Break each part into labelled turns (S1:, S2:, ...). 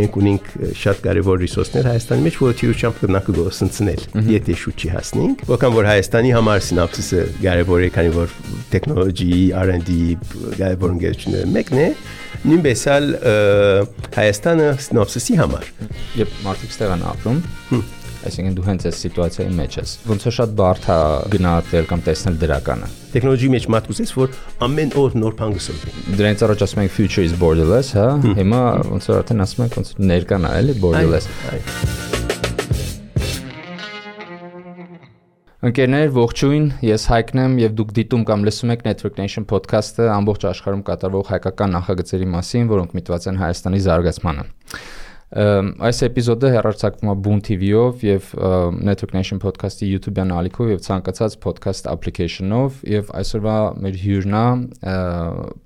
S1: Մենք ունենք շատ կարևոր ռեսուրսներ Հայաստանի մեջ, որը թիրուչությամբ կնակ գործընծնել, եթե շուտ չի հասնենք։ Որքան որ Հայաստանի համար սինոպսիսը կարևոր է, քանի որ տեխնոլոգի, R&D կարևոր ընկերությունները մեկն է, նույնպես էլ Հայաստանը սինոպսիսի համար։
S2: Երբ մարդիկ ստեղ են ապրում, այսինքն դու հենց այս սիտուացիայի մեջ ես։ Ոնց է շատ բարդ է գնահատել կամ տեսնել դրականը։
S1: Տեխնոլոգիի մեջ մատուցես, որ ամեն օր նոր բան գսովի։
S2: Դրանից առաջ ասում ենք future is borderless, հա։ Հիմա ոնց որ արդեն ասում ենք ոնց ներկան է, էլի borderless։ Ընկերներ, ողջույն, ես Հայկն եմ եւ դուք դիտում կամ լսում եք Network Nation podcast-ը ամբողջ աշխարհում կատարվող հայկական նախագծերի մասին, որոնք միտված են Հայաստանի զարգացմանը։ Այս էպիզոդը հեռարձակվում է Boom TV-ով եւ Network Nation podcast-ի YouTube-յան ալիքով եւ ցանկացած podcast application-ով եւ այսօրվա մեր հյուրն է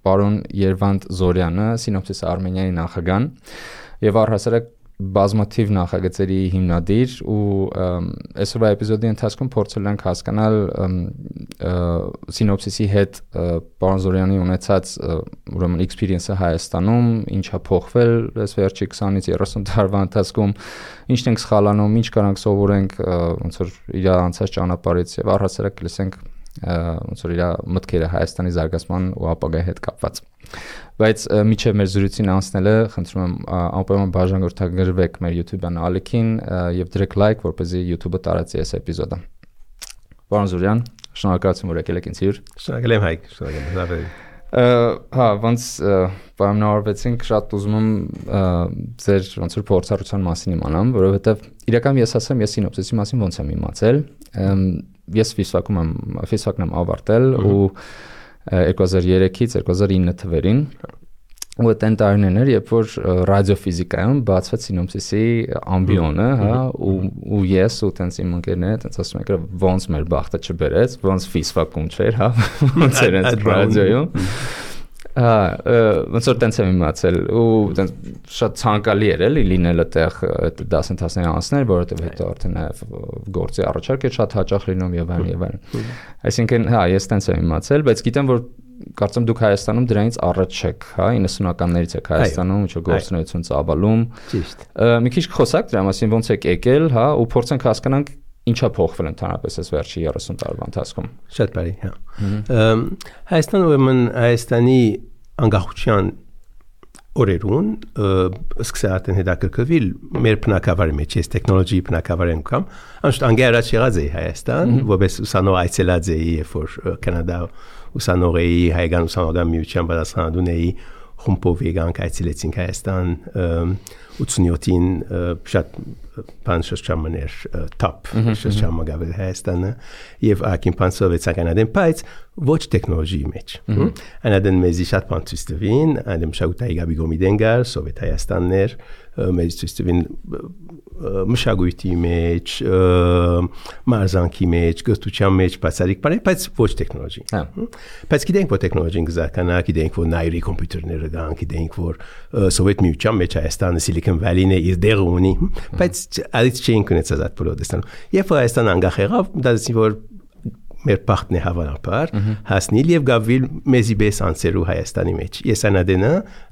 S2: պարոն Երվանդ Զորյանը, Synopsys Armenia-ի նախագահ եւ առհասարակ բազմաթիվ նախագծերի հիմնադիր ու այսօրվա էպիզոդի ընթացքում փորձել ենք հասկանալ Synopsys-ի հետ պարոն Զորյանի ունեցած ուրեմն experience-ը Հայաստանում, ինչ է փոխվել այս վերջի 20-ից 30 տարվա ընթացքում, ինչն ենք սխալանում, ինչ կարանք սովորենք ոնց որ իր անցած ճանապարհից եւ առհասարակ լսենք ոնց որ իր մտքերը Հայաստանի զարգացման ու ապագայի հետ կապված։ Բայց միջև մեր զրույցին անցնելը խնդրում եմ անպայման բաժանորդագրվեք մեր YouTube-յան ալիքին եւ դրեք լայք, որպեսզի YouTube-ը տարածի այս էպիզոդը։ Պարոն Զորյան, շնորհակալություն, որ եկել եք ինձ հյուր։
S1: Շնորհակալ եմ Հայկ, շնորհակալ եմ։
S2: Հա, ոնց պայմանավորվեցինք, շատ ուզում եմ ձեր ոնց որ փորձառության մասին իմանամ, որովհետեւ իրական ես ասեմ, ես Synopsys-ի մասին ոնց եմ իմացել։ Ես ֆիզիկն եմ ավարտել ու 2003-ից 2009 թվերին ու այդ տարիներն էր, երբ որ ռադիոֆիզիկայում բացվեց Synopsys-ի ամբիոնը, հա, ու ես ու տենց իմ ընկերները տենց ասում եք, ոնց մեր բախտը չբերեց, ոնց ֆիզիկում չէր, հա, ոնց էր այդ ռադիոյում։ Ոնց որ տենց եմ իմացել ու տենց շատ ցանկալի էր էլի լինելը տեղ այդ դասընթացների անցնել, որովհետև հետո արդեն գործի առաջարկ էր շատ հաճախ լինում եւ այլն։ Այսինքն, հա, ես տենց եմ իմացել, բայց գիտեմ, որ կարծեմ դուք Հայաստանում դրանից առաջ չեք, հա, 90-ականներից եք Հայաստանում, ինչ որ գործունեություն ծավալում։ Ճիշտ։ Մի քիչ խոսակ դրա մասին, ոնց եք եկել, հա, ու փորձենք հասկանանք ինչա փոխվել ընդհանրապես այս վերջի 30 տարվա ընթացքում։
S1: Շատ բարի, հա։ Հայաստանը ուրեմն Հայաստանի անկախության օրերուն սկսել արդեն հետաքրքրվել մեր բնակավարի մեջ, ես տեխնոլոգիի բնակավար անգամ, անշուշտ անգերած եղած էի Հայաստան, որպես ուսանող այցելած էի, երբ որ Կանադա ուսանող էի, հայկական ուսանողական միության պատասխանատուն էի, խումբով եկանք այցելեցինք Հայաստան 87-ին շատ բան շրջաններ top շրջանը գավել Հայաստանը եւ ակին պանսովեցական adem բայց ոչ տեխնոլոգիի մեջ անադեն մեզի շատ բան ցույց տվին adem շագուտայի գաբի գոմիդենգար սովետ Հայաստաններ մեզ ցույց տվին մշակույթի մեջ մարզանքի մեջ գտուչան մեջ բացարիք բաներ բայց ոչ տեխնոլոգի բայց գիտենք որ տեխնոլոգին գզականա գիտենք որ նայրի կոմպյուտերները կան գիտենք որ սովետ միության մեջ Հայաստանը Silicon Valley-ն է իր դերը ունի բայց այդ չէին կնեցած այդ պրոդեստան երբ Հայաստան անգախ եղավ դասի որ մեր բախտն է հավանաբար հասնիլ եւ գավիլ մեզի բես անցերու Հայաստանի մեջ ես անադենը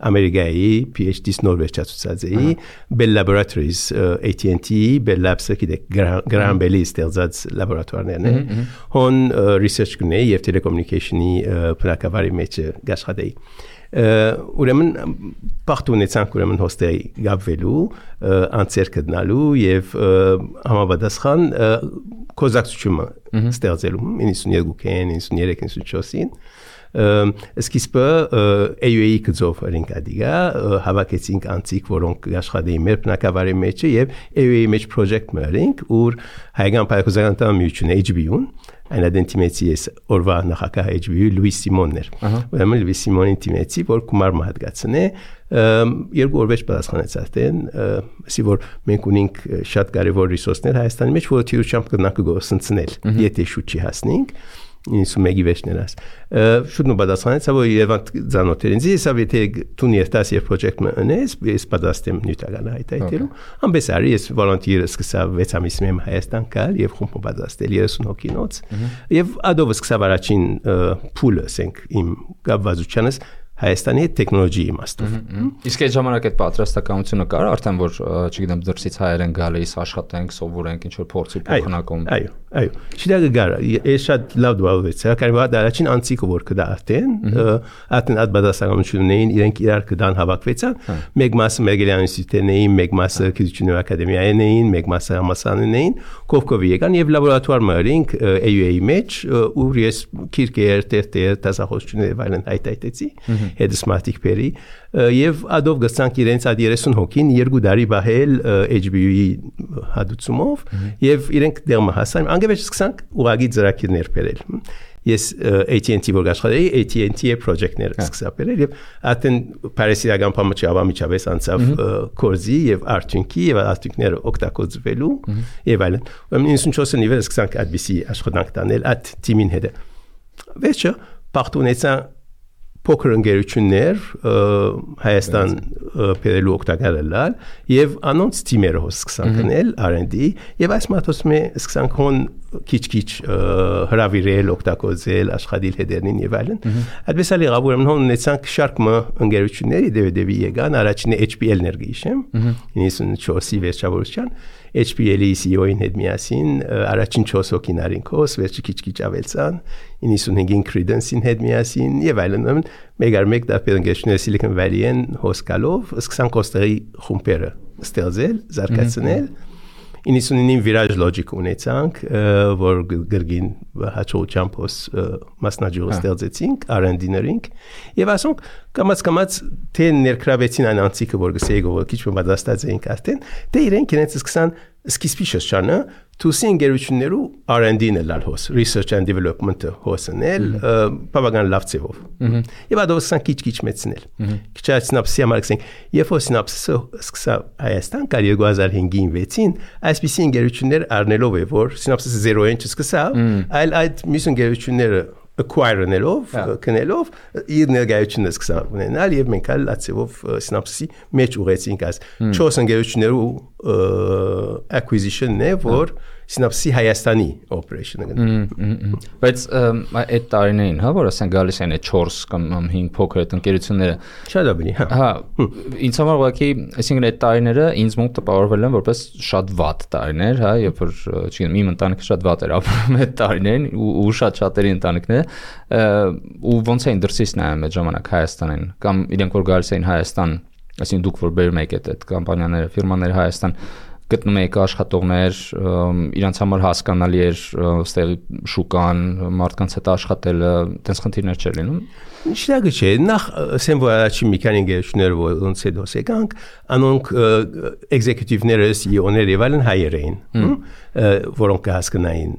S1: Ամերիկայի PhD-ս նորվեջացուցած էի Bell Laboratories AT&T Bell Labs-ը գիտեք Graham Bell-ի ստեղծած լաբորատորներն են հոն research կնեի եւ telecommunication-ի բնակավարի մեջ աշխատեի ուրեմն բախտ ունեցանք ուրեմն հոստեի գավվելու անցեր գտնալու եւ համապատասխան կոզակցությունը ստեղծելու 92-ին 93-ին 94-ին սկիզբը AUA-ի գծով ռինկադիգա հավաքեցինք անցիկ որոնք աշխատեին մեր բնակավարի մեջ եւ AUA-ի մեջ project մերինք ուր հայկական պայքոզական միությունը HBO-ն այն դենտիմեցի էս օրվա նախակահ HBO Լուիս Սիմոններ ուրեմն Լուիս Սիմոնին դիմեցի որ գումար մահացնե երկու օրվեջ պատասխանեց արդեն ասի որ մենք ունենք շատ կարևոր ռեսուրսներ Հայաստանի մեջ որը թիրուչամբ կնակ գործընծնել եթե շուտ չի հասնենք 91-ի վերջներս շուտ նպատականից որ Երևան ցանոթերին զիսավ եթե դու ներտաս եւ պրոյեկտ մնես ես պատասխանեմ նյութական հայտայտելու ամբես արի ես վոլոնտիեր սկսա 6 ամիս մեմ Հայաստան գալ եւ խումբ պատասխանել 30 հոգինոց եւ ադով սկսա առաջին փուլը ասենք իմ կապվածությունս Հայաստանի տեխնոլոգիայի իմաստով։
S2: Իսկ այդ ժամանակ այդ պատրաստականությունը կար արդեն որ չգիտեմ դրսից հայեր են գալիս աշխատենք, սովորենք, ինչ որ փորձի փոխանակում։
S1: Այո։ Շիդագը գար, ես շատ լավ դուալվեց, կարևոր է առաջին անցիկը որ կդա արդեն այդ բադասականություններին իրենք իրար կդան հավաքվեցան, մեկ մասը Մերգելյան ինստիտուտն էին, մեկ մասը Գիտությունների ակադեմիային էին, մեկ մասը համալսարանն էին, կողքով եկան եւ լաբորատուար մերինք AUA-ի մեջ ուր ես քիրկեր տեր դասախոսություններ վայրեն հայտայտեցի հետսմատիկ պերի եւ ադով գցանք իրենց այդ 30 հոգին 2 տարի բահել HBO-ի հադուցումով եւ իրենք դեռ հասան անգևեջ սկսանք ուղագի ծրագիրներ բերել ես AT&T որ աշխատեի AT&T-ի պրոյեկտներ սկսա բերել եւ այդեն Փարիսիական փամուչի ավամիջավես անցավ կորզի եւ արդյունքի եւ արդյունքները օգտագործվելու եւ այլն 94-ը նիվեր սկսանք այդպիսի աշխատանք տանել այդ թիմին հետ վերջը պարտունեցա փոքր ընկերություններ Հայաստան բերելու օգտակարել եւ անոնց թիմերը սկսան գնել R&D եւ այս մատոսմե սկսան քոն քիչ-քիչ հրավիրել օգտագործել աշխատել հետերնին եւ այլն այդպես էլի գաբուրում ունեցանք շարք ընկերությունների դեպի եկան առաջինը HPL-ներ գիշեմ 94-ի վերջավորության HPL-ի CEO-ին հետ միասին առաջին 4 հոգիներին կոս վերջի քիչ-քիչ ավելցան 95-ին Credence-ին հետ միասին եւ այլն մեկ դեպի ընկերությունների Silicon Valley-ին հոսկալով սկսան կոստերի խումբերը ստեղծել զարգացնել 99-ին Virage Logic ունեցանք որ գրգին հաջողությամբ մասնաճյուղ ստեղծեցինք R&D-ներինք եւ ասոնք կամած թե ներկրավեցին այն անցիկը որ գսեի որ քիչ պատասխանած էինք արդեն դե իրենք իրենց սկսան սկիզբի շրջանը թուսի ընկերություններու R&D-ն լալ հոս research and development-ը հոսնել բավական լավ ծևով եւ ադով սկսան քիչ մեծնել քիչ այդ սինապսի համար գսենք երբ որ սինապսը սկսա Հայաստան կար 2005-ին 6-ին այսպիսի ընկերություններ առնելով է որ սինապսը 0-ին չսկսա այլ այդ մյուս ընկերությունները acquire-նելով կնելով իր ներկայությունը սկսա ունենալ եւ մենք ալ ածեվով սինապսի մեջ ուղեցինք այս 4 ընկերություններու acquisition-ն է որ Սինապսի Հայաստանի operation-ը
S2: բայց այդ տարիներին հա որ ասեն գալիս են այդ 4 կամ 5 փոքր այդ ընկերությունները
S1: շատ ավելի
S2: հա ինձ համար ուղղակի այսինքն այդ տարիները ինձ մոտ տպավորվել են որպես շատ վատ տարիներ հա երբ որ չգիտեմ իմ ընտանիքը շատ վատ էր ապրում այդ տարիներին ու շատերի ընտանիքները ու ոնց էին դրսից նայում այդ ժամանակ Հայաստանին կամ իրենք որ գալիս էին Հայաստան այսինքն դուք որ բերում եք այդ կամպանիաները ֆիրմաները Հայաստան գտնում եք աշխատողներ իրանց համար հասկանալի էր ստեղ շուկան մարդկանց հետ աշխատելը տես խնդիրներ չէր լինում
S1: Շիդագը չէ նախ ասեմ որ առաջին մի քանի ընկերություններ ոնց է դոս եկանք անոնք էկզեկյուտիվները CEO-ներ եւ այլն հայեր էին որոնք հասկանային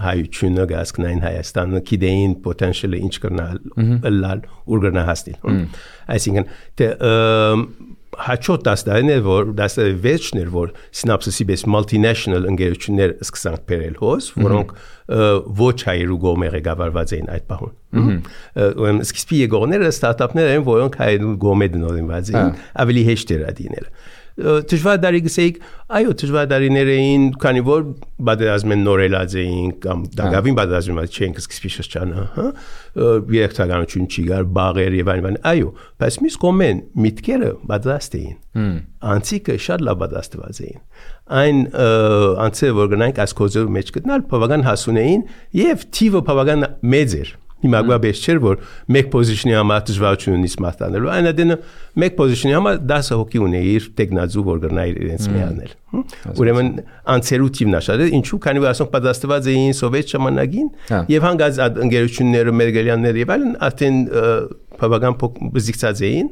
S1: հայությունը հասկանային Հայաստանը գիտեին potential-ը ինչ կրնալ լալ ուր կրնա հասնել այսինքն հաջորդ դասարանը որ դասարանի վերջներ որ սինապսիսի պես multinational ընկերություններ սկսանք բերել հոս որոնք ոչ հայերու գոմերը գավարված էին այդ պահուն սկիզբի եկողները ստարտափներ են որոնք հայերու գոմե դնորինված էին ավելի հեշտ էր դինել դժվար դարի գսեիք այո դժվար դարիներ էին քանի որ բادرազմեն նորելած էին կամ դակավին բادرազմած չենք սկսի շրջանը հա երեքտականություն չի գար բաղեր եւ այլն այո բայց միս կոմեն միտքերը բادرաստ էին անցիկը շատ լավ բادرաստված էին այն անցը որ գնանք ասկոզը մեջ գտնալ բավական հասուն էին եւ թիվը բավական մեծ էր Հիմա գաբես չէր որ մեկ պոզիցիոնի համար դժվարություն ունի սմարտանելու այն դենը մեկ պոզիցիոնի համար 10 հոգի ունի իր տեխնազու որ գնա իրենց միանել ուրեմն անցերու թիվն աշարել ինչու քանի որ ասոնք պատասխանված էին սովետ ժամանակին եւ հանգած ընկերությունները մերգելյաններ եւ այլն արդեն բավական բզիկցած էին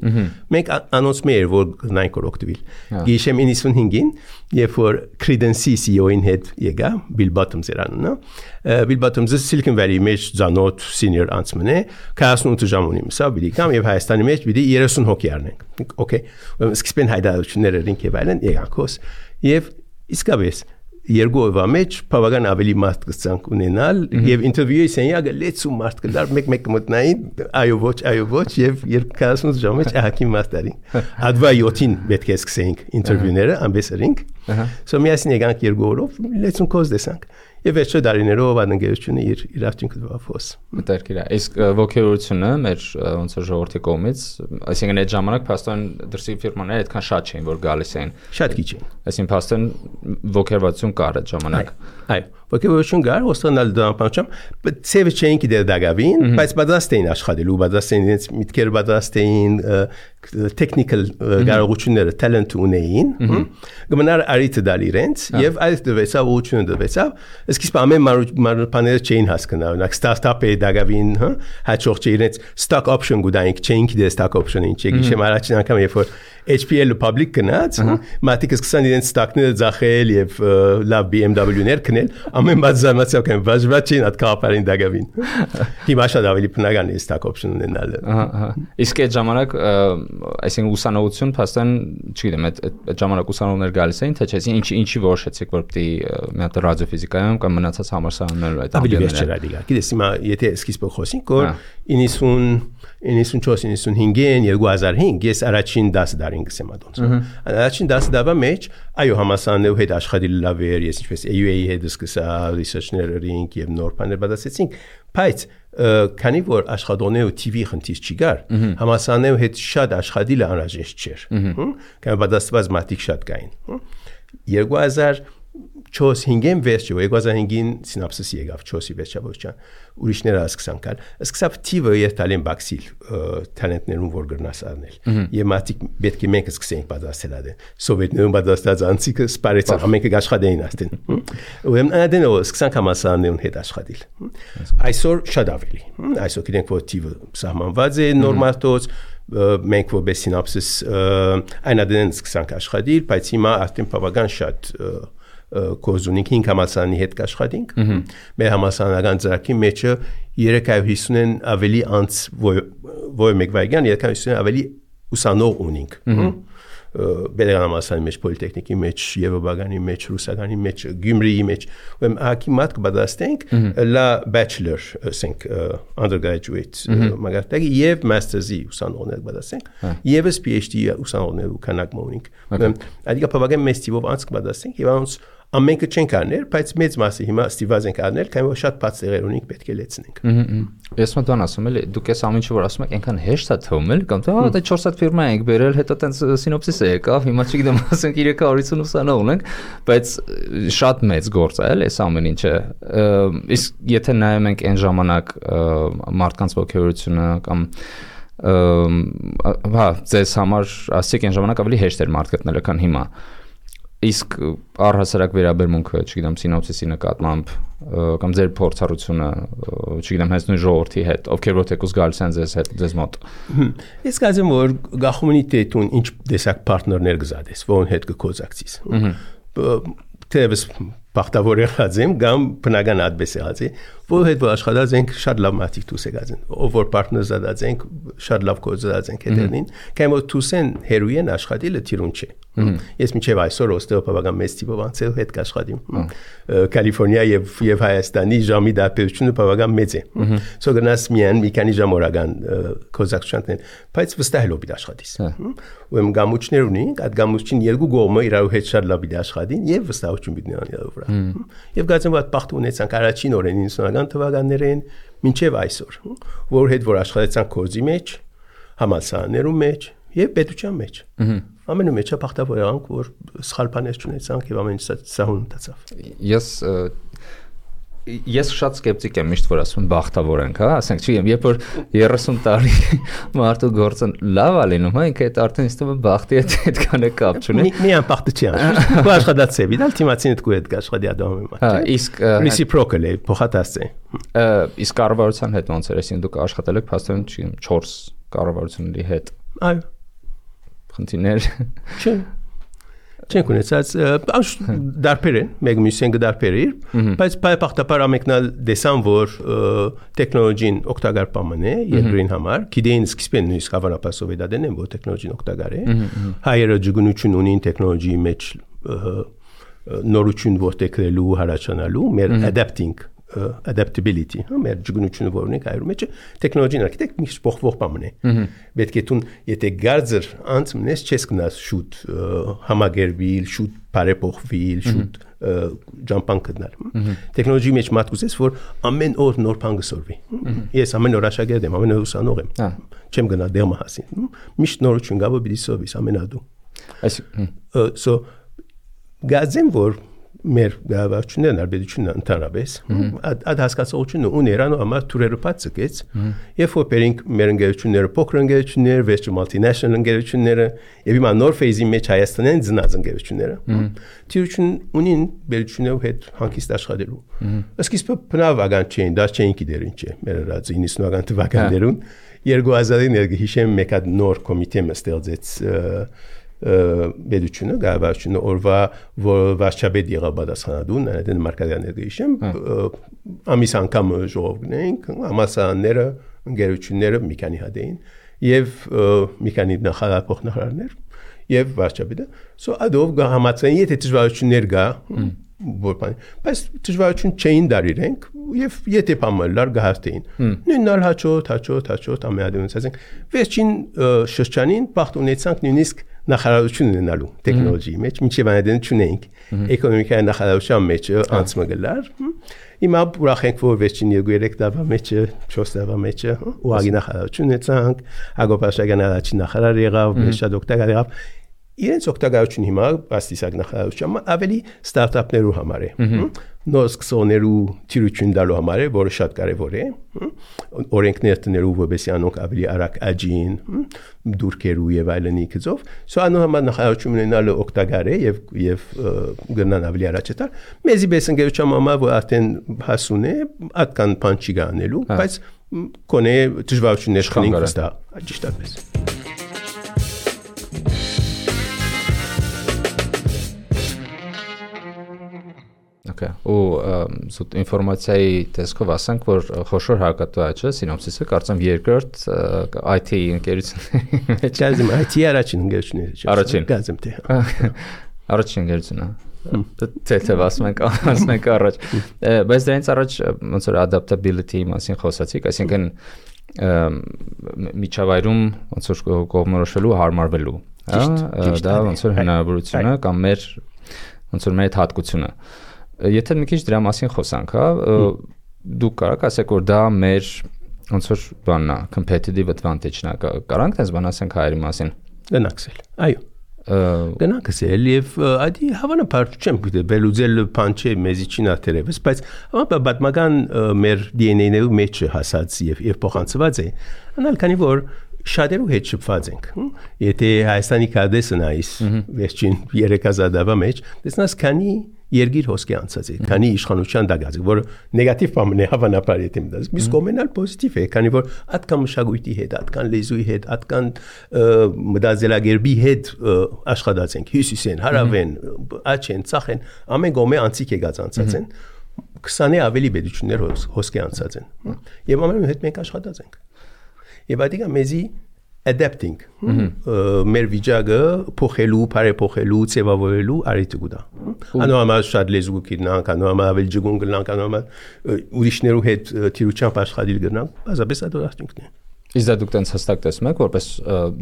S1: մենք անոնց մեր որ նայք օգտվել գիշեմ 95-ին երբ որ Credence CEO-ին հետ եկա Bill Bottoms երանը Bill Bottoms-ը Silicon Valley-ի մեջ ծանոթ senior անցման է 48 ժամ ունի սա բիլիկամ եւ Հայաստանի մեջ պիտի 30 հոգի առնենք okay սկսեն հայտարարությունները ռինք եւ այլն եկակոս եւ իսկապես երկու օրվա մեջ բավական ավելի մարդ կցանք ունենալ եւ ինտերվյուի սենյակը լեցու մարդ կդար մեկ մտնային այո ոչ եւ 48 ժամ մեջ ահագին մարդ արին ադվա 7-ին պետք է սկսեինք ինտերվյուները ամբեսերինք so միասին եկանք երկու օրով լեցուն կոզ դեսանք եւ վերջը դարիներով անընկերությունը իր արդյունքը դվաֆոս
S2: մտերքիր է իսկ ոգևորությունը մեր ոնց է ժողովրդի կողմից այսինքն այդ ժամանակ փաստորեն դրսի ֆիրմաները այդքան շատ չէին որ գալիս էին
S1: շատ քիչ էին
S2: այսինքն փաստորեն ոգևորություն կար այդ ժամանակ
S1: այո ոգևորություն կար ոստանալ դամպանչամ ծևը չէին գիտեր դակավին բայց պատրաստ էին աշխատելու պատրաստ էին իրենց միտքերը պատրաստ էին technical կարողությունները talent ունեին գմնար արիթը դալ իրենց եւ այդ դվեցավ ուղղությունը դվեցավ Իսկ ամեն բաները չէին հասկանալ, օրինակ ստարտափը դակավին, հաջող չէ իրենց stock option գուտայինք, չէին գիտեր stock option-ը ինչ է, գիշեմ առաջին անգամ երբ որ HPL-ը public գնաց, մատիկը սկսան իրենց stock-ները ձախել եւ լավ BMW-ներ կնել, ամեն բան զարմացավ կան, բաժված չէին այդ կապարին դակավին։ Հիմա շատ ավելի բնական է stock option ունենալը։
S2: Իսկ այդ ժամանակ, այսինքն ուսանողություն փաստորեն, չգիտեմ, այդ ժամանակ ուսանողներ գալիս էին, թե չէ, ինչի որոշեցիք, որ պիտի մի հատ ռադիոֆիզիկայում կամ մնացած համալսարաններում այդ
S1: ավելի վերջ չէր դիգա։ Գիտես հիմա եթե սկիզբը խոսենք, որ 94-95-ին 2005 ես առաջին 10 դարին գսեմ ադոնց։ Առաջին 10 դարվա մեջ այո համասաններու հետ աշխատել լավ էր, ես ինչպես AUA-ի հետ սկսա research-ներինք եւ նոր բաներ բացեցինք, բայց քանի որ աշխատողները TV խնդիր չի գար, համասաններու հետ շատ աշխատելը անհրաժեշտ չէր։ Կամ բացված մատիկ շատ կային։ 2004-5-ին վերջը 2005-ին սինապսիս եկավ 4-ի վերջավորության ուրիշները սկսան կալ սկսավ TV-ը երթալեն բաքսիլ տալենտներուն որ գրնաս առնել եւ մատիկ պետք է մենք սկսենք պատասխանել ադեն սովետներուն պատասխանած անցիկը սպարեցավ ամենքը աշխատեին աստեն ուրեմն ադենը սկսան համասարաններուն հետ աշխատել այսօր շատ ավելի այսօր գիտենք որ TV-ը սահմանված է նորմատոց մենք որպես սինապսիս այնադեն սկսանք աշխատել բայց հիմա արդեն բավական շատ կոզունիկ 5 համալսարանի հետ կաշխատենք մեր համալսարանական ծրագրի մեջը 350-ն ավելի անց որ մեկ վայրկյան 350-ն ավելի ուսանող ունենք Բերական համալսարանի մեջ պոլիտեխնիկի մեջ Եվրոպագանի մեջ ռուսականի մեջ Գյումրիի մեջ ուրեմն ակի մատ կբադաստենք լա bachelor ասենք undergraduate մագարտակի եւ master's-ի ուսանողներ կբադաստենք եւս PhD ուսանողներ ու քանակ մոնիկ ուրեմն այդ բավական մեծ տիպով անց կբադաստենք եւ անց ամենքը չենք արնել, բայց մեծ մասը հիմա ստիված ենք արնել, քանի որ շատ բաց տեղեր ունենք պետք է լեցնենք։
S2: Ես մտան ասում եմ, դուք այս ամեն ինչ որ ասում եք, այնքան հեշտ է թվում, կամ թե դա 4 հատ ֆիրմա ենք բերել, հետո տենց սինոպսիսը եկավ, հիմա չգիտեմ, ասենք 350 ուսանող ունենք, բայց շատ մեծ գործ է, էլի, այս ամեն ինչը։ Իսկ եթե նայում ենք այն ժամանակ մարդկանց ոգևորությունը կամ հա, ձեզ համար ասեք այն ժամանակ ավելի հեշտ էր մարդ գտնելը, քան հիմա։ Իսկ առհասարակ վերաբերմունքը, չգիտեմ, սինոպսիսի նկատմամբ կամ ձեր փորձառությունը, չգիտեմ, հենց նույն ժողովրդի հետ, ովքեր որ թեկուզ գալիս են ձեզ մոտ։
S1: Ես կարծեմ, որ գախումունիտետուն ինչ տեսակ պարտներներ գզադես, որոնց հետ կկոզակցիս։ Թեևս բախտավոր եղած եմ, կամ բնական ադբես եղած է, որ հետ որ աշխատած ենք շատ լավ մարդիկ դուս եկած են, ով որ պարտներ զադած ենք, շատ լավ կոզած ենք հետերնին, կամ որ դուսեն հերույեն աշխատելը թիրուն չէ։ Ես մինչև այսօր ոստեղ բավական մեծ տիպով անցել հետ կաշխատիմ։ Կալիֆոռնիա եւ Հայաստանի ժամի դարբերությունը բավական մեծ է։ Սո գնաս միայն մի քանի ժամ օրական կոզակցություններ, բայց վստահ լոբի աշխատիս։ Ուրեմն գամուչներ ունենք, այդ գամուչին երկու կողմը իրար հետ շատ լավ պիտի աշխատին եւ վստահություն պիտի ունենան վրա։ Եվ գացեմ որ բախտ ունեցանք առաջին օրեն 90-ական թվականներին մինչև այսօր, որ հետ որ աշխատեցանք կոզի մեջ, համալսարաններում մեջ եւ պետության մեջ։ Ամենու մեջը բախտավոր եղանք, որ սխալ բաներ չունեցանք եւ ամեն ինչ սահուն մտածավ։
S2: Ես շատ սկեպտիկ եմ միշտ որ ասում բախտավոր ենք, հա, ասենք, չգիտեմ, երբ որ 30 տարի մարդու գործը լավ է լինում, հա, ինքը այդ արդեն ինձ թվում է բախտի հետ այդքան է կապ չունի։
S1: Միան բախտը չի անում։ Ու աշխատած է, դալ թիմացին դու հետ աշխատի ադամի մոտ։
S2: Հա, իսկ
S1: reciprocal է, փոխադարձ է։
S2: Իսկ կառավարության հետ ոնց էր, այսինքն դուք աշխատել եք փաստորեն, չգիտեմ, 4 կառավարությունների հետ։
S1: Այո։
S2: Խնդիրներ։
S1: Չէ։ Չենք ունեցած դարբեր են, մեկ մյուսեն կդարբերի, բայց պայպախտապար ամենքնալ դեսան, որ տեխնոլոգին օգտակար պաման է երկրին համար, գիտեին սկիզբեն նույնիսկ հավանաբար սովետադեն են, որ տեխնոլոգին օգտակար է, հայերը ջգունություն ունին տեխնոլոգիի մեջ նորություն որտեղ գրելու հարաճանալու մեր adaptability, մեր ջգնությունը որ ունենք այրու մեջ տեխնոլոգիան արկիտեկտ միշտ փոխվող բան է։ Պետք է դու եթե գարձր անցնես չես գնաս շուտ համագերբիլ, շուտ բարեփոխվիլ, շուտ ջամփան գտնել։ Տեխնոլոգիայի մեջ մատուցես որ ամեն օր նոր բան գսորվի։ Ես ամեն օր աշակերտ եմ, ամեն օր ուսանող եմ։ Չեմ գնա դերմա հասին։ Միշտ նորություն գա որ պիտի սովիս ամենադու։ So գազեմ որ մեր գավառությունն արբեդությունն ընդհանրապես այդ հասկացողությունը ուներանու համար թուրերը բացկեց երբ որ բերինք մեր ընկերությունները փոքր ընկերությունները վերջը multinational ընկերությունները եւ հիմա նոր ֆեյզի մեջ Հայաստանեն ծնած ընկերությունները թիրություն ունին բերությունով հետ հանգիստ աշխատելու սկիզբը բնավական չէին դա չէին գիտեր ինչ է մեր 90-ական թվականներուն 2000-ին հիշեմ մեկ հատ նոր կոմիտե ստեղծեց բեդությունը գավառությունը օրվա վարչապետ եղավ պատասխանատուն այդ մարկադյանները հիշեմ ամիս անգամ ժողովնենք ամասանները ընկերությունները մի քանի հատ էին եւ մի քանի նախարար փոխնախարարներ եւ վարչապետը so adov համացան եթե դժվարություններ գա բայց դժվարություն չէին դարիրենք եւ եթե բամալար գահստեին նույնալ հաճոտ ամենադեպս ասենք վերջին շրջանին բախտ ունեցանք նույնիսկ նախարարություն ունենալու տեխնոլոգիայի մեջ մինչև այնտեղ չունենք էկոնոմիկայի նախարարության մեջ անցմգլար հիմա ուրախ ենք որ վերջին 2-3 տարվա մեջ 4 տարվա մեջ ուղղակի նախարարություն ունեցանք Ագոպաշագյան առաջին նախարար եղավ շատ օգտակար եղավ իրենց օգտակարությունը հիմա աստիսակ նախարարությունը ավելի ստարտափներու համար է նոր սկսողներու թիրություն տալու համար է որը շատ կարևոր է օրենքներ տնելու որպեսզի անոնք ավելի արագ աճին դուրքերու եւ այլնի գծով սա անոնք համար նախարարություն ունենալը օգտակար է եւ գնան ավելի առաջ տալ մեզի բես ընկերության համար որ արդեն հասուն է այդքան բան չի գանելու բայց կոնե դժվարություններ քնին կստա ճիշտ է
S2: Okay. Ու զուտ ինֆորմացիայի տեսքով ասենք, որ խոշոր հարկատուաճը սինոպսիսը կարծեմ երկրորդ IT ընկերությունների մեջ
S1: գազեմ IT առաջին ընկերությունները գազեմ թե
S2: առաջին ընկերությունն է թե ասենք առաջ բայց դրանից առաջ ոնց որ adaptability մասին խոսացիք այսինքն միջավայրում ոնց որ կողմնորոշվելու հարմարվելու դա ոնց որ հնարավորությունը կամ մեր ոնց որ մեր հատկությունը Եթե մի քիչ դրա մասին խոսանք, հա, դուք կարաք ասեք որ դա մեր ոնց որ բանն է, competitive advantage-ն է, կարանք դες բան ասենք հայերի մասին։
S1: Գնակսել։ Այո։ Գնակսել եւ այդի հավանաբար չեմ գիտե բելուզել փանչե մեզի չինա դերևս, բայց պատմական մեր DNA-ներու մեջ հասած եւ փոխանցված է։ Անալ քանի որ շատերու հետ շփված ենք։ Եթե Հայաստանի կադեսը նայես վերջին 3000 տարվա մեջ, տեսնաս քանի Երգիր հոսքի անցած է, քանի իշխանության դագած է, որ նեգատիվ բան է հավանաբար եթե մտած։ Իսկ կոմենալ պոզիտիվ է, քանի որ atkan մշակույթի հետ, atkan լեզուի հետ, atkan մտածելակերպի հետ աշխատած ենք, հյուսիսեն, հարավեն, աչեն, ցախեն, ամեն գոմե անցիկ եկած անցած են։ 20-ը ավելի բեդություններ հոսքի անցած են։ Եվ ամենու հետ մենք աշխատած ենք։ Եվ այդիկա մեզի adapting մեր վիճակը փոխելու, բարեփոխելու, ձևավորելու արիթ կուտա։ Անորմալ շատ լեզու կգնանք, անորմալ ավելի ջգուն գնանք, անորմալ ուրիշներու հետ թիրությամբ աշխատել գնանք, բազապես այդ արդյունքն է։
S2: Իսկ դա դուք տենց հստակ տեսնում եք, որպես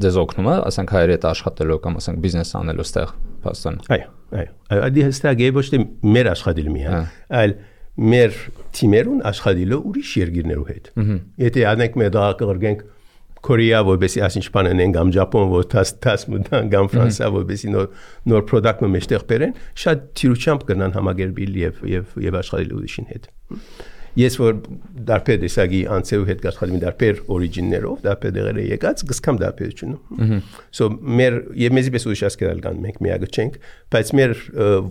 S2: դեզ օգնում է, ասենք հայերի հետ աշխատելու կամ ասենք բիզնես անելու ստեղ փաստան։
S1: Այո։ Այդ հստակ է ոչ թե մեր աշխատելը միայն, այլ մեր թիմերուն աշխատելը ուրիշ երկիրներու հետ։ Եթե անենք մեր դա կգրգենք Korea որպեսի ասինչ բան են կամ Ճապոն որ տաս մտան կամ Ֆրանսիա որպեսի նոր product-ը մեջտեղ բերեն շատ թիրությամբ կգնան համագերբիլ եւ աշխատել ուրիշին հետ ես որ դարբեր դեսագի անցեու հետ աշխատում դարբեր օրիջիններով դարբեր դեղերը եկած գսկամ դարբերությունը so մեր եւ մեզի պես ուրիշ ասկերալ կան մենք միագը չենք բայց մեր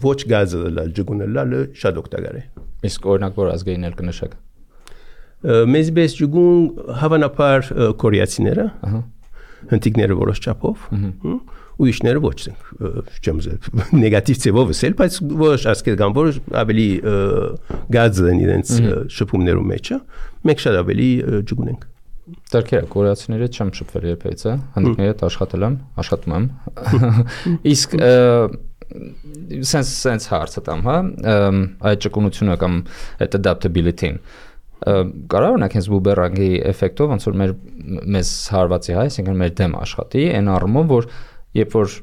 S1: ոչ գազը լալ ջգունը լալը շատ օգտակար է
S2: իսկ օրինակ որ ազգայիններ կնշեք
S1: մեզ բես ջուգուն հավանաբար կորեացիները հնդիկները որոշ չափով ուրիշները ոչ չեմ նեգատիվ ձևով ասել բայց որոշ ասկեր կան որ ավելի գազը են իրենց շփումներու մեջը մենք շատ ավելի ջուգուն ենք
S2: Դարքերը կորեացիները չեմ շփվել երբևիցե հնդիկների հետ աշխատում եմ իսկ sense հարցը տամ, հա, այդ ճկունությունը կամ այդ adaptability-ն կարող օրինակ հենց բուբերանգի էֆեկտով ոնց որ մեզ հարվածի, հա, այսինքն մեր դեմ աշխատի, այն առումով, որ երբ որ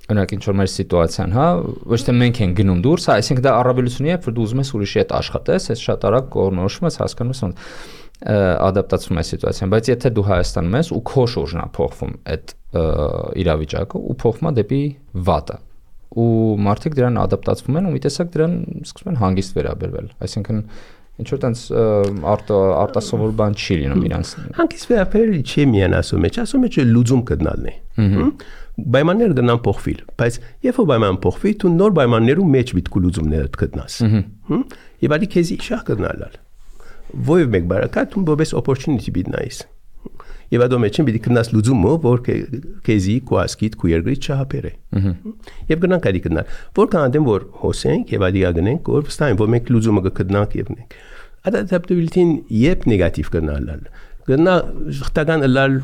S2: օրինակ ինչ որ մեր սիտուացիան, հա, ոչ թե մենք ենք գնում դուրս, հա, այսինքն դա առավելությունն է, երբ որ դու ուզում ես ուրիշի հետ աշխատես, այս շատ արագ կողմնորոշում ես, հասկանում ես ոնց ադապտացվում է սիտուացիան, բայց եթե դու Հայաստանում ես ու քո շուրջն է փոխվում այդ իրավիճակը ու փոխվում է դեպի վատը ու մարդիկ դրան ադապտացվում են ու մի տեսակ դրան սկսում են հանգիստ վերաբերվել, այսինքն ինչ որ տենց արտասովոր բան չի լինում իրանց։
S1: Հանգիստ վերաբերելը չի միայն ասում է լուծում գտնալն է։ Պայմանները գնան փոխվել, բայց երբ որ պայմանը փոխվի, դու նոր պայմաններում մեջ միտք ու լուծումներ գտնաս։ Եվ ալի քեզի շահ գտնալալ։ Ոյ մեկ բարակատ ու բոբես opportunity բիտնայիս։ Եվ ադո մեջ պիտի գտնաս լուծումը, որ քեզի կուասկիտ կու երկրի չհապերը։ Եվ գնանք ալի գնալ։ Որքան անդեմ որ հոսենք եւ ալի գնենք, որ վստահ որ մենք լուծումը կգտնանք եւ նենք։ Adaptability-ն երբ նեգատիվ գնալալ։ Գնա շղթական լալ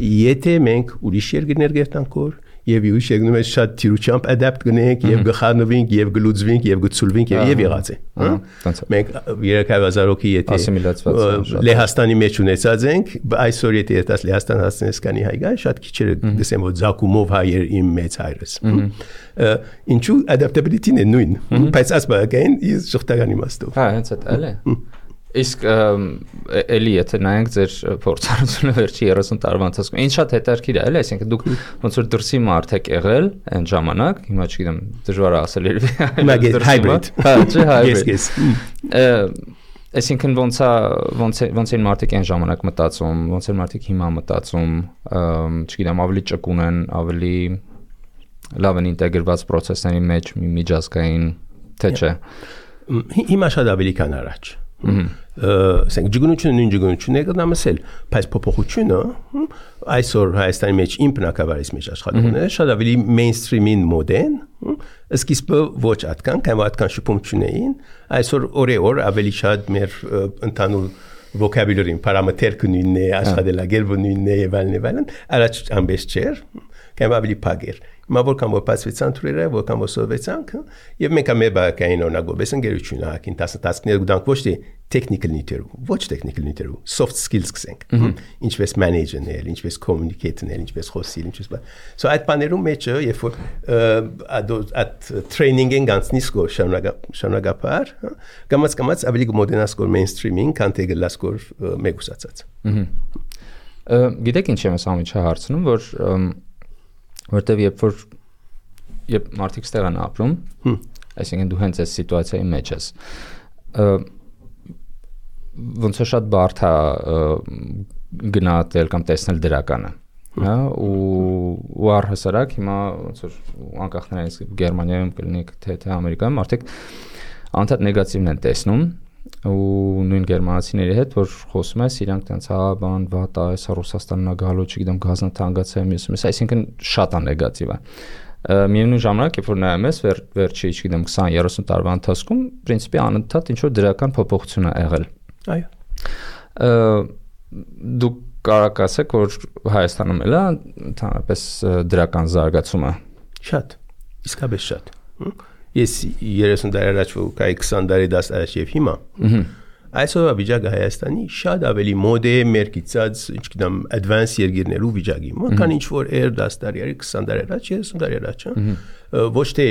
S1: եթե մենք ուրիշ երկրներ գերտանք որ եւ ուրիշ երկրներ շատ թիրուչամբ adapt գնենք եւ գխանվենք եւ գլուծվենք եւ գցուլվենք եւ եղած է, հա։ Մենք 3000-ով եթե Լեհաստանի մեջ ունեցած ենք, այսօր եթե դες Լեհաստան հասնես կանի հայգա, շատ քիչերը գսեմ որ զակումով հայեր իմ մեծ հայրս։ Ինչու adaptability-ն է նույն, բայց ասպակային is շղթական իմաստով։
S2: Հա, հենց այդ էլ է։ Իսկ էլի եթե նայենք ձեր փորձառությունը վերջի 30 տարվա ընթացքում, ինչ շատ հետաքրքիր է, էլի, այսինքն դուք ոնց որ դրսի մարդ եք եղել այն ժամանակ, հիմա չգիտեմ, դժվար է ասել երևի։
S1: Հիմա hybrid։
S2: Հա, չէ, hybrid։ Այսինքն ոնց են մարդիկ այն ժամանակ մտածում, ոնց են մարդիկ հիմա մտածում, չգիտեմ, ավելի ճկուն են, ավելի լավ են ինտեգրված process-ների մեջ, միջազգային, թե չէ։
S1: Հիմա շատ ավելի քան առաջ։ Ասենք ջգունությունը նույն ջգունությունն է գտնամասել, բայց փոփոխությունը այսօր Հայաստանի մեջ իմ բնակավարից մեջ աշխատողն է շատ ավելի mainstream-ին մոդեն, սկիզբը ոչ այդքան, կամ այդքան շփում չունեին, այսօր օրեօր ավելի շատ մեր ընդհանուր vocabulary-ին պարամետրը նույնն է, աշխատելագիրը նույնն է եւ այլն, առաջ ամբես չէր, կամ ավելի փագեր։ Հիմա որքան որ բացվեցան թուրերը, որքան որ սովեցանք, եւ մենք ամեն բակային օրնագոբես ընկերություն ակին 10 տասկներ գտանք ոչ թե technical նյութերով, ոչ technical նյութերով, soft skills կսենք։ Ինչպես manager-նել, ինչպես communicate-նել, ինչպես խոսել, ինչպես So այդ բաներում մեջը, երբ որ այդ training-ին գանցնի սկոր շարունակապար, կամած ավելի մոդենաս կոր mainstream-ին, քան թե գլաս կոր մեգուսացած։
S2: Գիտեք ինչ եմ ասում հարցնում, որ որտեվ երբ մարդիկ ստեղ են ապրում, այսինքն դու հենց այս սիտուացիայի մեջ ես, ոնց է շատ բարդ է գնահատել կամ տեսնել դրականը, հա, ու առհասարակ հիմա ոնց որ անկախ նրանից Գերմանիայում կլինի թե Ամերիկայում մարդիկ անդադ նեգատիվն են տեսնում ու նույն գերմանացիների հետ որ խոսում ես իրանք տենց հա բան վատ է այս Ռուսաստանն է գալու չգիտեմ գազն թանկացել մյուսը այսինքն շատ է նեգատիվ է միևնույն ժամանակ երբ որ նայում ես վերջի չգիտեմ 20-30 տարվա ընթացքում պրինցիպի անընդհատ ինչ որ դրական փոփոխություն է եղել այո դուք կարող ասեք որ Հայաստանում էլ է ընդհանրապես դրական զարգացումը
S1: շատ իսկապես շատ Ես 30 տարի առաջ կայի 20 տարի 10 առաջ եւ հիմա այսօր վիճակը Հայաստանի շատ ավելի մոդ է մերկիցած ինչքան advanced երկրներու վիճակի քան ինչ որ 10 տարի 20 տարի առաջ 30 տարի առաջ ոչ թե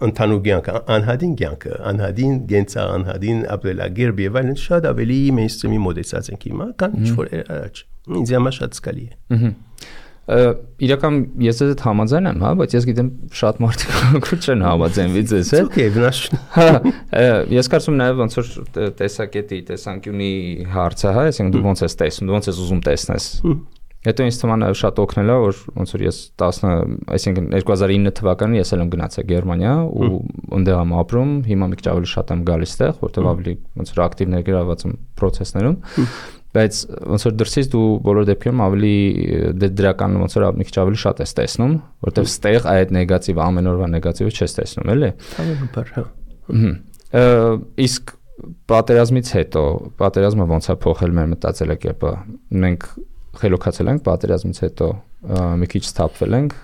S1: ընդհանուր կյանքը անհադին կյանքը անհադին գենցա անհադին ապրելագիր եւ այլն շատ ավելի mainstream-ի մոդեցած ենք հիմա քան ինչ որ առաջ ինձ համար շատ սկալի է
S2: իրական ես այդ համաձայն եմ, հա, բայց ես գիտեմ շատ մարդիկ չեն համաձայնվի ձեզ հետ։
S1: Okay, վնաս։
S2: Հա, ես կարծում նաև ոնց որ տեսակետի, տեսանկյունի հարցը, հա, այսինքն դու ոնց ես տեսնում, դու ոնց ես ուզում տեսնես։ Հետո ինձ թվում է շատ օգնել է, որ ոնց որ ես 10, այսինքն 2009 թվականին ես էլ եմ գնացել Գերմանիա ու այնտեղ եմ ապրում, հիմա մի քիչ ավելի շատ եմ գալիս այդտեղ, որտեղ ավելի ոնց որ ակտիվ ներգրավված եմ process-ներում։ Բայց ոնց որ դրսից դու բոլոր դեպքերում ավելի դրական ոնց որ մի քիչ ավելի շատ ես տեսնում, որտեղ ստեղ այդ նեգատիվ ամեն օրվա նեգատիվը չես տեսնում, էլի։
S1: Հավանաբար, հա։
S2: Իսկ պատերազմից հետո, պատերազմը ոնց է փոխել մեր մտածելակերպը։ Մենք խելոքացել ենք պատերազմից հետո, մի քիչ սթափվել ենք։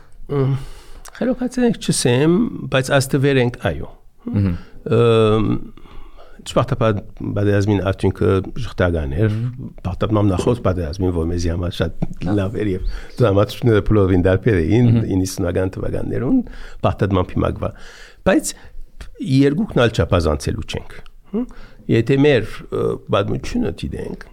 S1: Խելոքացենք չսեմ, բայց աստվեր ենք այո։ Չպարտապատ բادرազմին արդյունքը շղթական էր, պարտապատ նախոց բادرազմին, որ մեզի համար շատ լավ էր եւ դրամատուրգները փլովին դարբեր էին 90-ական թվականներուն, պարտապատ փիմակվա։ Բայց երկուքն ալ չափազանցելու չենք։ Եթե մեր պատմությունը դիտենք,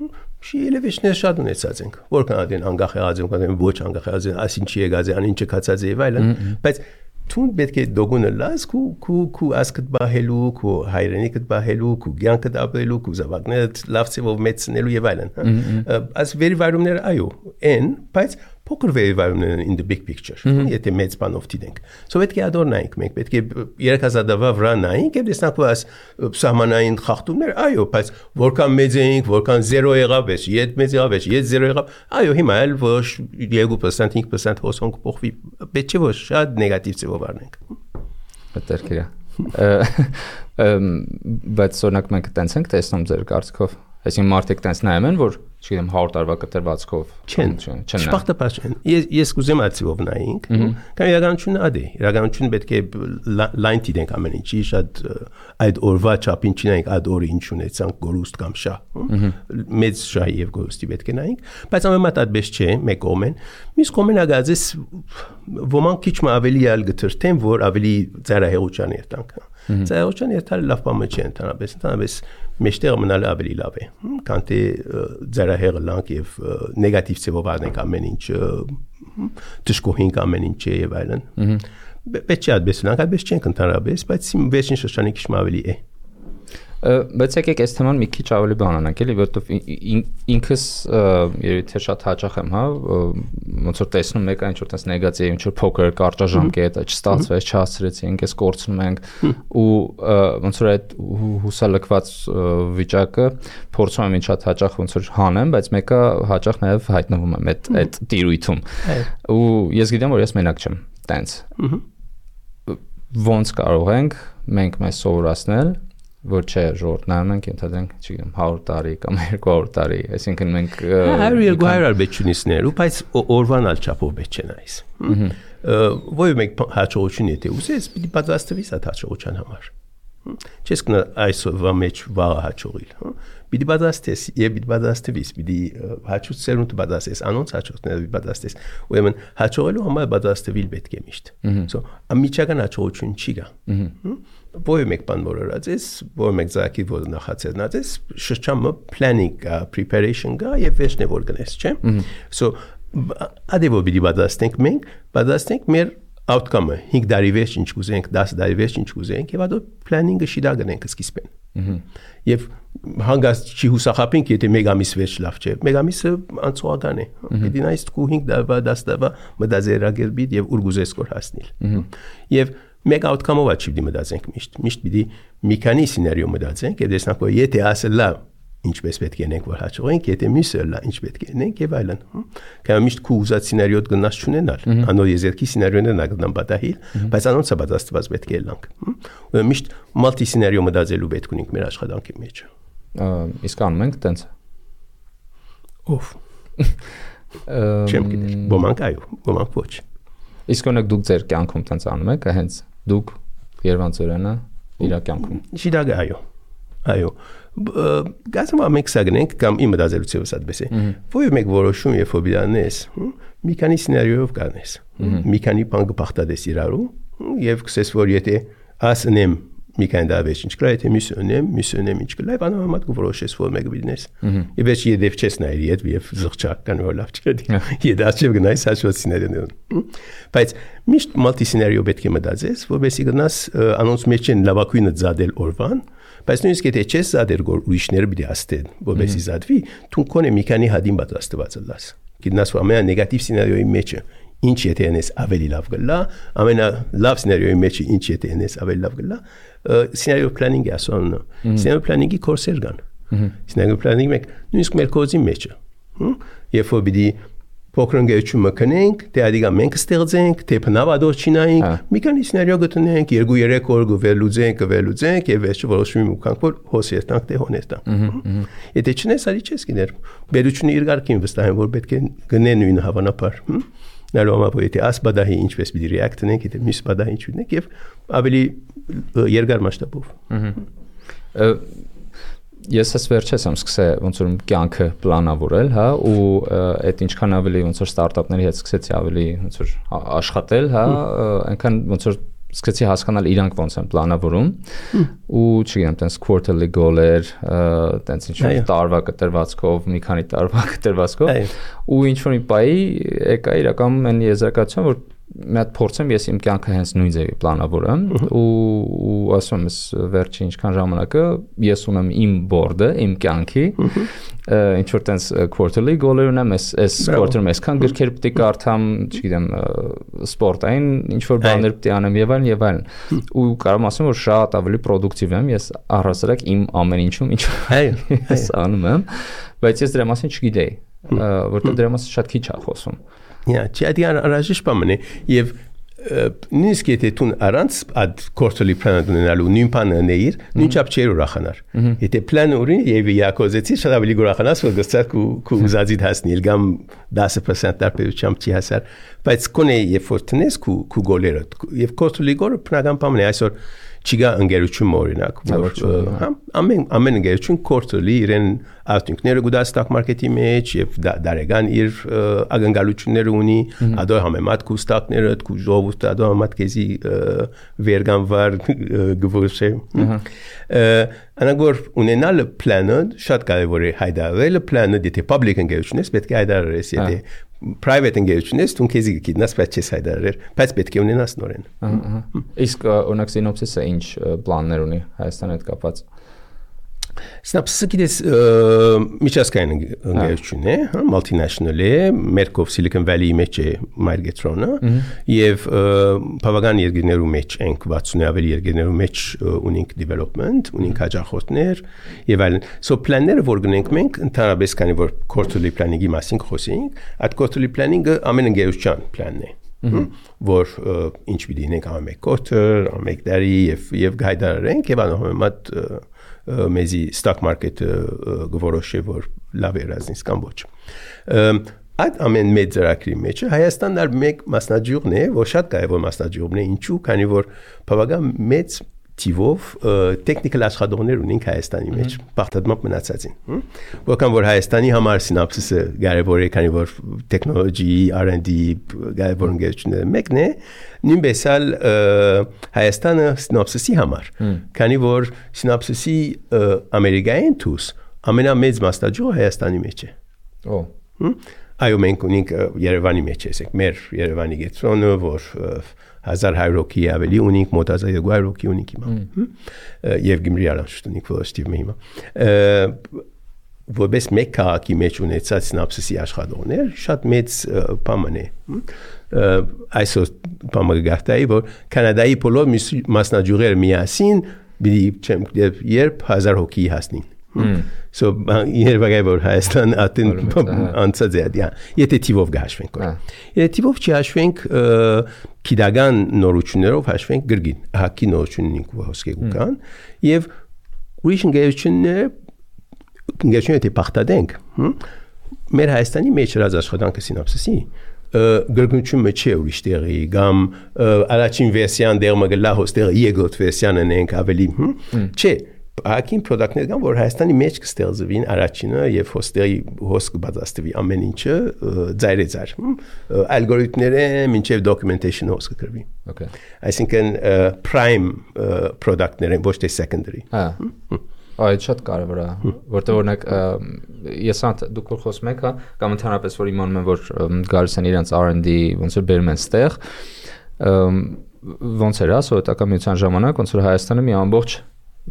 S1: շիելեվիչներ շատ ունեցած ենք, որքան adեն անգախ եղած են, որքան ոչ անգախ եղած են, ասինչի եղած են, ինչը կացած է եւ այլն, բայց Tun betke dogune las ku asket bahelu ku hayrenik bahelu ku gyanket abelu ku zavagnet lavtsevov metsnelu yevalen as veri varumner ayo en բայց փոքր veri varumner in the big picture եթե մեծ բանով դիտենք so պետք է adornayink մենք պետք է երեքազադավա վրա նայենք եւ տեսնանք որ այս սահմանային խախտումներ այո բայց որքան մեծ էինք որքան 0 եղավ էս իդ մեծ եղավ էս իդ 0 եղավ այո հիմա էլ ոչ 2% 5% հոսոնք փոխվի պետք է ոչ շատ նեգատիվ ձևով առնենք
S2: Պետք բայց օրինակ մենք տենց ենք տեսնում ձեր կարծիքով այսինքն մարդիկ տենց նայում են որ չգիտեմ 100 տարվա կտրվածքով
S1: չեն չպարտապած չեն ես կուզեմ այցով նայենք կամ իրականությունը ադե իրականությունը պետք է լայն դիտենք ամեն ինչի շատ այդ օրվա չափին չնայենք այդ օրը ինչ ունեցանք գորուստ կամ շահ մեծ շահի եւ գորուստի պետք է նայենք բայց ամենամետ այդպես չէ մեկ կողմեն մյուս կողմեն ագազես ոմանք քիչ ավելի ալ գտրտեն որ ավելի ծայրահեղության երտանք ծայրահեղության երթալը լավ բան չէ ընդհանրապես մեջտեղ մնալը ավելի լավ է քան թե ծայրահեղը լանք եւ նեգատիվ ձևով առնենք ամեն ինչ դժկոհինք ամեն ինչ եւ այլն պետք է այդպես լանք այդպես չենք ընդհանրապես բայց վերջին շրջանի քիչ ավելի է
S2: բայց եկեք այս թեման մի քիչ ավելի բանանանք էլի որովհետեւ ինքս երևի թե շատ հաճախ եմ հա ոնց որ տեսնում մեկ այն ինչ-որ տես նեգատիվ ինչ-որ փոքր կարճաժամկետ չստացվեց չհասցրեցինք այս կորցնում ենք ու ոնց որ այդ հուսալքված վիճակը փորձում եմ շատ հաճախ ոնց որ հանեմ բայց մեկը հաճախ նաև հայտնվում եմ այդ տիրույթում ու ես գիտեմ որ ես մենակ չեմ տենց ոնց կարող ենք մենք մեզ սովորացնել որ չէ ժողովրդն ենք ընդհանրենք չգիտեմ 100 տարի կամ 200 տարի այսինքն մենք
S1: 100-200 բեչունիսներ ու բայց օրվան ալ չափով բեչ չեն այս ոյ մեկ հաջողություն եթե ուզես պիտի պատրաստվես այդ հաջողության համար չես կնա այսօրվա մեջ վաղը հաջողիլ պիտի պատրաստես եւ պիտի պատրաստվես պիտի հաջողությունդ պատրաստես անոնց հաջողությունները պիտի պատրաստես ուրեմն հաջողելու համար պատրաստվել պետք է միշտ so ամիջական հաջողություն չի գա Ոյ մեկ բան որած ես, որ մեկ զակի որ նախացած ես, շրջանը planning կա, preparation կա եւ վերջն է որ գնես, չէ՞։ So ադեվո բիդի պատրաստենք մեր outcome-ը 5 տարի վերջ ինչ կուզենք, 10 տարի վերջ ինչ կուզենք եւ ադո planning-ը շիդա գնենք սկիզբեն։ Եվ հանգած չի հուսախապենք, եթե մեկ ամիս վերջ լավ չէ։ Մեկ ամիսը անցողական է։ Պիտի նայես դու 5 տարվա, 10 տարվա մտածերագել բիդ եւ ուր գուզես կոր հասնել։ Եվ մեկ outcome-ով չի պիտի մտածենք միշտ պիտի մի քանի սցենարիո մտածենք եւ տեսնենք որ եթե ասը լավ ինչպես պետք է ենք որ հաջողենք եթե մյուսը լավ ինչ պետք է ենք եւ այլն կամ միշտ քու ուզած սցենարիոդ գնաց չունենալ անոր եզերքի սցենարիոներն ագնան պատահիլ բայց անոնց պատրաստված պետք է լանք ու միշտ մալտի սցենարիո մտածելու պետք ունենք մեր աշխատանքի մեջ
S2: իսկ անում ենք տենց
S1: օֆ չեմ գիտեր ոմանք այո ոմանք ոչ
S2: իսկ օրինակ դուք ձեր կյանքում տենց անում եք հենց դուք Երևանցորենը իր կյանքում
S1: շիդագ այո գազում ամենք սագնենք կամ իմ դազելուցիվս այդպես է ոյ մեկ որոշում երբ որ բիրանես մի քանի սցենարիով կանես մի քանի բան կփախտades իրարու եւ կսես որ եթե ասնեմ մի քանի դավեջ ինչ կլա եթե միսունեմ ինչ կլա բանամատ կորոշես որ մեկ բիդնես եւ ես եդեվ չես նայր եւ զղջակ կան որ լավ չէ եդաչև գնայս հաշված սցենարիոն բայց միշտ մալտի սցենարիո պետք է մտածես որովհետեւ գնաս անոնց մեջ են լավակույնը զադել օրվան բայց նույնիսկ եթե չես զադել որ ուրիշները պիտի աստեն որովհետեւ զադվի դու կոնե մի քանի հադին պատրաստված լաս գտնաս որ ամենա նեգատիվ սցենարիոյի մեջը ինչ եթե անես ավելի լավ գլա ամենա լավ սցենարիոյի մեջ ինչ եթե անես ավելի լավ գլա սցենարիո պլանինգի ասոնը սցենարիո պլանինգի կորսեր կան սցենարիո պլանինգի մեկ նույնիսկ մեր կոդի մեջը երբ որ պիտի փոքրընկերություն մտնենք թե ադիգա մենք ստեղծենք թե բնավադոր չինայինք մի քանի սցենարիո գտնենք 2-3 օր գվելուձենք եւ վերջը որոշում ունենք որ հոսերտանք թե հոներտանք եթե չնես արի չես գներ բերությունը իր գարկին վստահ եմ որ պետք է գնեն նույն հավանաբար նալու համար որ եթե աս բադահի ինչպես պիտի react ունենք, եթե մյուս բադահի ինչ ունենք եւ ավելի երկար մասշտաբով։
S2: Ես ես վերջես եմ սկսել ոնց որ կյանքը պլանավորել, հա, ու այդ ինչքան ավելի ոնց որ ստարտափների հետ սկսեցի ավելի ոնց որ աշխատել, հա, այնքան ոնց որ սկսեցի հասկանալ իրանք ոնց են պլանավորում ու չգիտեմ, տենց quarterly goal-էր, տենց ինչ-որ տարվա կտրվածքով, մի քանի տարվա կտրվածքով ու ինչ-որ մի պայի եկա իրականում այն եզրակացության, որ մի հատ փորձեմ ես իմ կյանքը հենց նույն ձևի պլանավորեմ ու ասում եմ ես վերջի ինչքան ժամանակը ես ունեմ իմ board-ը, իմ կյանքի ինչ որ տենց quarterly goal-եր ունեմ, այս quarter-ում այսքան գրքեր պետք է կարդամ, չգիտեմ, սպորտային ինչ որ բաներ պետք է անեմ եւ այլն ու կարող եմ ասեմ որ շատ ավելի productive եմ ես առհասարակ իմ ամեն ինչում ինչ ես անում եմ, բայց ես դրա մասին չգիտեի, որտեղ դրա մասին շատ քիչ է խոսում։
S1: Չի անհրաժեշտ բան է եւ նույնիսկ եթե դու առանց այդ quarterly plan ունենալու նույն բանը նեիր, նույնչափ չէր ուրախանար։ Եթե plan ունի եւ յակոզեցի շատ ավելի ուրախանաս որ գցած ու ուզածիդ հասնել կամ 10% տարբերությամբ չի հասար, բայց կոնե երբ որ տնես քու գոլերը եւ quarterly goal-ը բնական բան է այսօր չգա ընկերություն օրինակ որ ամեն ընկերություն quarterly իրեն արդյունքները գուտա stock market-ի մեջ եւ դարեգան իր ակնկալությունները ունի ադո համեմատ քու stock-ները քու ժողովուրդը ադո համեմատ քեզի վերգանվար գվոշե անագոր ունենալ plանը շատ կարեւոր է հայտարարել plանը դիտի public ընկերությունից պետք է հայտարարես եթե private ընկերությունից դու քեզի գիտնաս բայց չես հայտարարել բայց պետք է ունենաս նորեն
S2: իսկ օրինակ Synopsys-ը ինչ պլաններ ունի Հայաստանի հետ կապված
S1: Synopsys-ը գիտես միջազգային ընկերություն է, multinational է, մերկով Silicon Valley-ի մեջ է Micron-ը եւ բավական երկրներու մեջ ենք 60-ի ավելի երկրներու մեջ ունենք development, ունենք հաջախորդներ եւ այլն։ So plan-ները որ գնենք մենք ընդհանրապես քանի որ quarterly planning-ի մասին խոսենք, այդ quarterly planning-ը ամեն ընկերության plan-ն է։ Որ ինչ պիտի ունենք ամեն quarter, ամեն տարի եւ գայդարենք եւ անհամեմատ մեզի stock market-ը գորոշե որ լավ է ռազնից կամ ոչ։ Այդ ամեն մեծ ծրագրի մեջ Հայաստանն ալ մեկ մասնաճյուղն է, որ շատ կարևոր մասնաճյուղն է, ինչու, քանի որ բավական մեծ տիվով տեխնիկալ աշխատողներ ունենք Հայաստանի մեջ, բախտadmամբ մնացածին։ Որքան որ Հայաստանի համար Synopsys-ը կարևոր է, քանի որ technology, R&D կարևոր ընկերությունները մեկն է, նույնպես ալ Հայաստանը Synopsys-ի համար, քանի որ Synopsys-ի ամերիկային թուս ամենամեծ մասնաճյուղը Հայաստանի մեջ է։ Այո, մենք ունենք Երևանի մեջ էսեք, մեր Երևանի գետրոնը, որ 1100 հոգի ավելի ունենք, մոտ 1200 հոգի ունենք հիմա։ Եվ Գյումրի առանց ունենք որոշտիվ հիմա։ Որպես մեկ քաղաքի մեջ ունեցած Synopsys-ի աշխատողներ շատ մեծ բան է։ Այսօր բանը գարտայի որ Կանադայի բոլոր մասնաճյուղերը միասին երբ 1000 հոգի հասնին։ So երբեք որ Հայաստան ատին անցած է դիա եթե տիվով գաշվենք եթե տիվով չհաշվենք քիդագան նորություններով հաշվենք գրգին հակի նորություննիկ հոսքեգու կան եւ ուրիշ ընկերությունները թե բախտադենք մեր Հայաստանի մեջ հրած աշխատանքը Synopsys-ի գրգնությունը չէ ուրիշ տեղի կամ առաջին վերսիան դեռ մգլա հոստերը երկրորդ վերսիանը նենք ավելի չէ Ակին product-ներ կան, որ Հայաստանի մեջ կստեղծվին առաջինը եւ հոստերի հոսք բացաստվի ամեն ինչը ծայրեծար։ Ալգորիթմները մինչեւ documentation հոսքը կրվի։ Okay։ Այսինքն prime product-ներ են ոչ թե secondary։
S2: Այդ շատ կարևոր է, որտեղ օրինակ ես դուք որ խոսում եք, կամ ընդհանրապես որ իմանում եմ որ գալիս են իրենց R&D ոնց որ բերում են ստեղ, ոնց էր սովետական միության ժամանակ ոնց որ Հայաստանը մի ամբողջ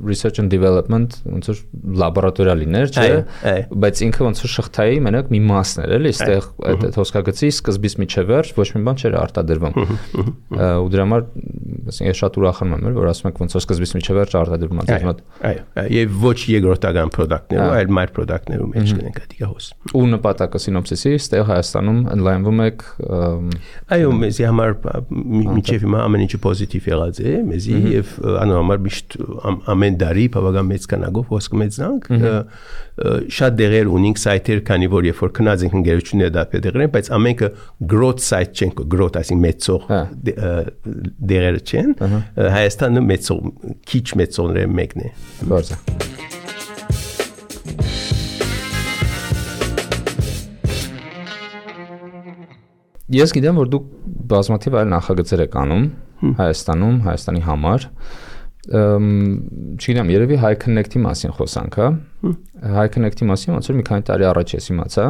S2: research and development ոնց որ լաբորատորիալիներ չէ բայց ինքը ոնց որ շղթայի մենակ մի մասն էր էլի այստեղ այդ հոսքագծի սկզբից միջև վերջ ոչ մի բան չէր արտադրվում ու դրա համար ասենք ես շատ ուրախանում եմ որ ասում եք ոնց որ սկզբից միջև վերջ արտադրվում
S1: այո եւ ոչ երկրորդական product-ներ այլ մայր product-ներում մեջ կնենք դիգա հոս
S2: ու նպատակը Synopsys-ի այստեղ Հայաստանում ընդլայնվում եք
S1: այո մեզի համար միջև հիմա ամեն ինչը պոզիտիվ եղած է մեզի եւ անհամար միշտ ամեն ամեն տարի բավական մեծ քանակով ոսկ մեծանք շատ դեղեր ունենք սայթեր քանի որ երբ որ քնած ենք ընկերությունները դա դեղեր են բայց ամենքը growth site չեն growth այսինքն մեծող դեղերը չեն Հայաստանը մեծող քիչ մեծողները մեկն է
S2: Բարձր Ես գիտեմ, որ դուք բազմաթիվ այլ նախագծեր եք անում Հայաստանում, Հայաստանի համար։ Չգիտեմ, երևի High Connect-ի մասին խոսանք, հա։ High Connect-ի մասին ոնց որ մի քանի տարի առաջ ես իմացա։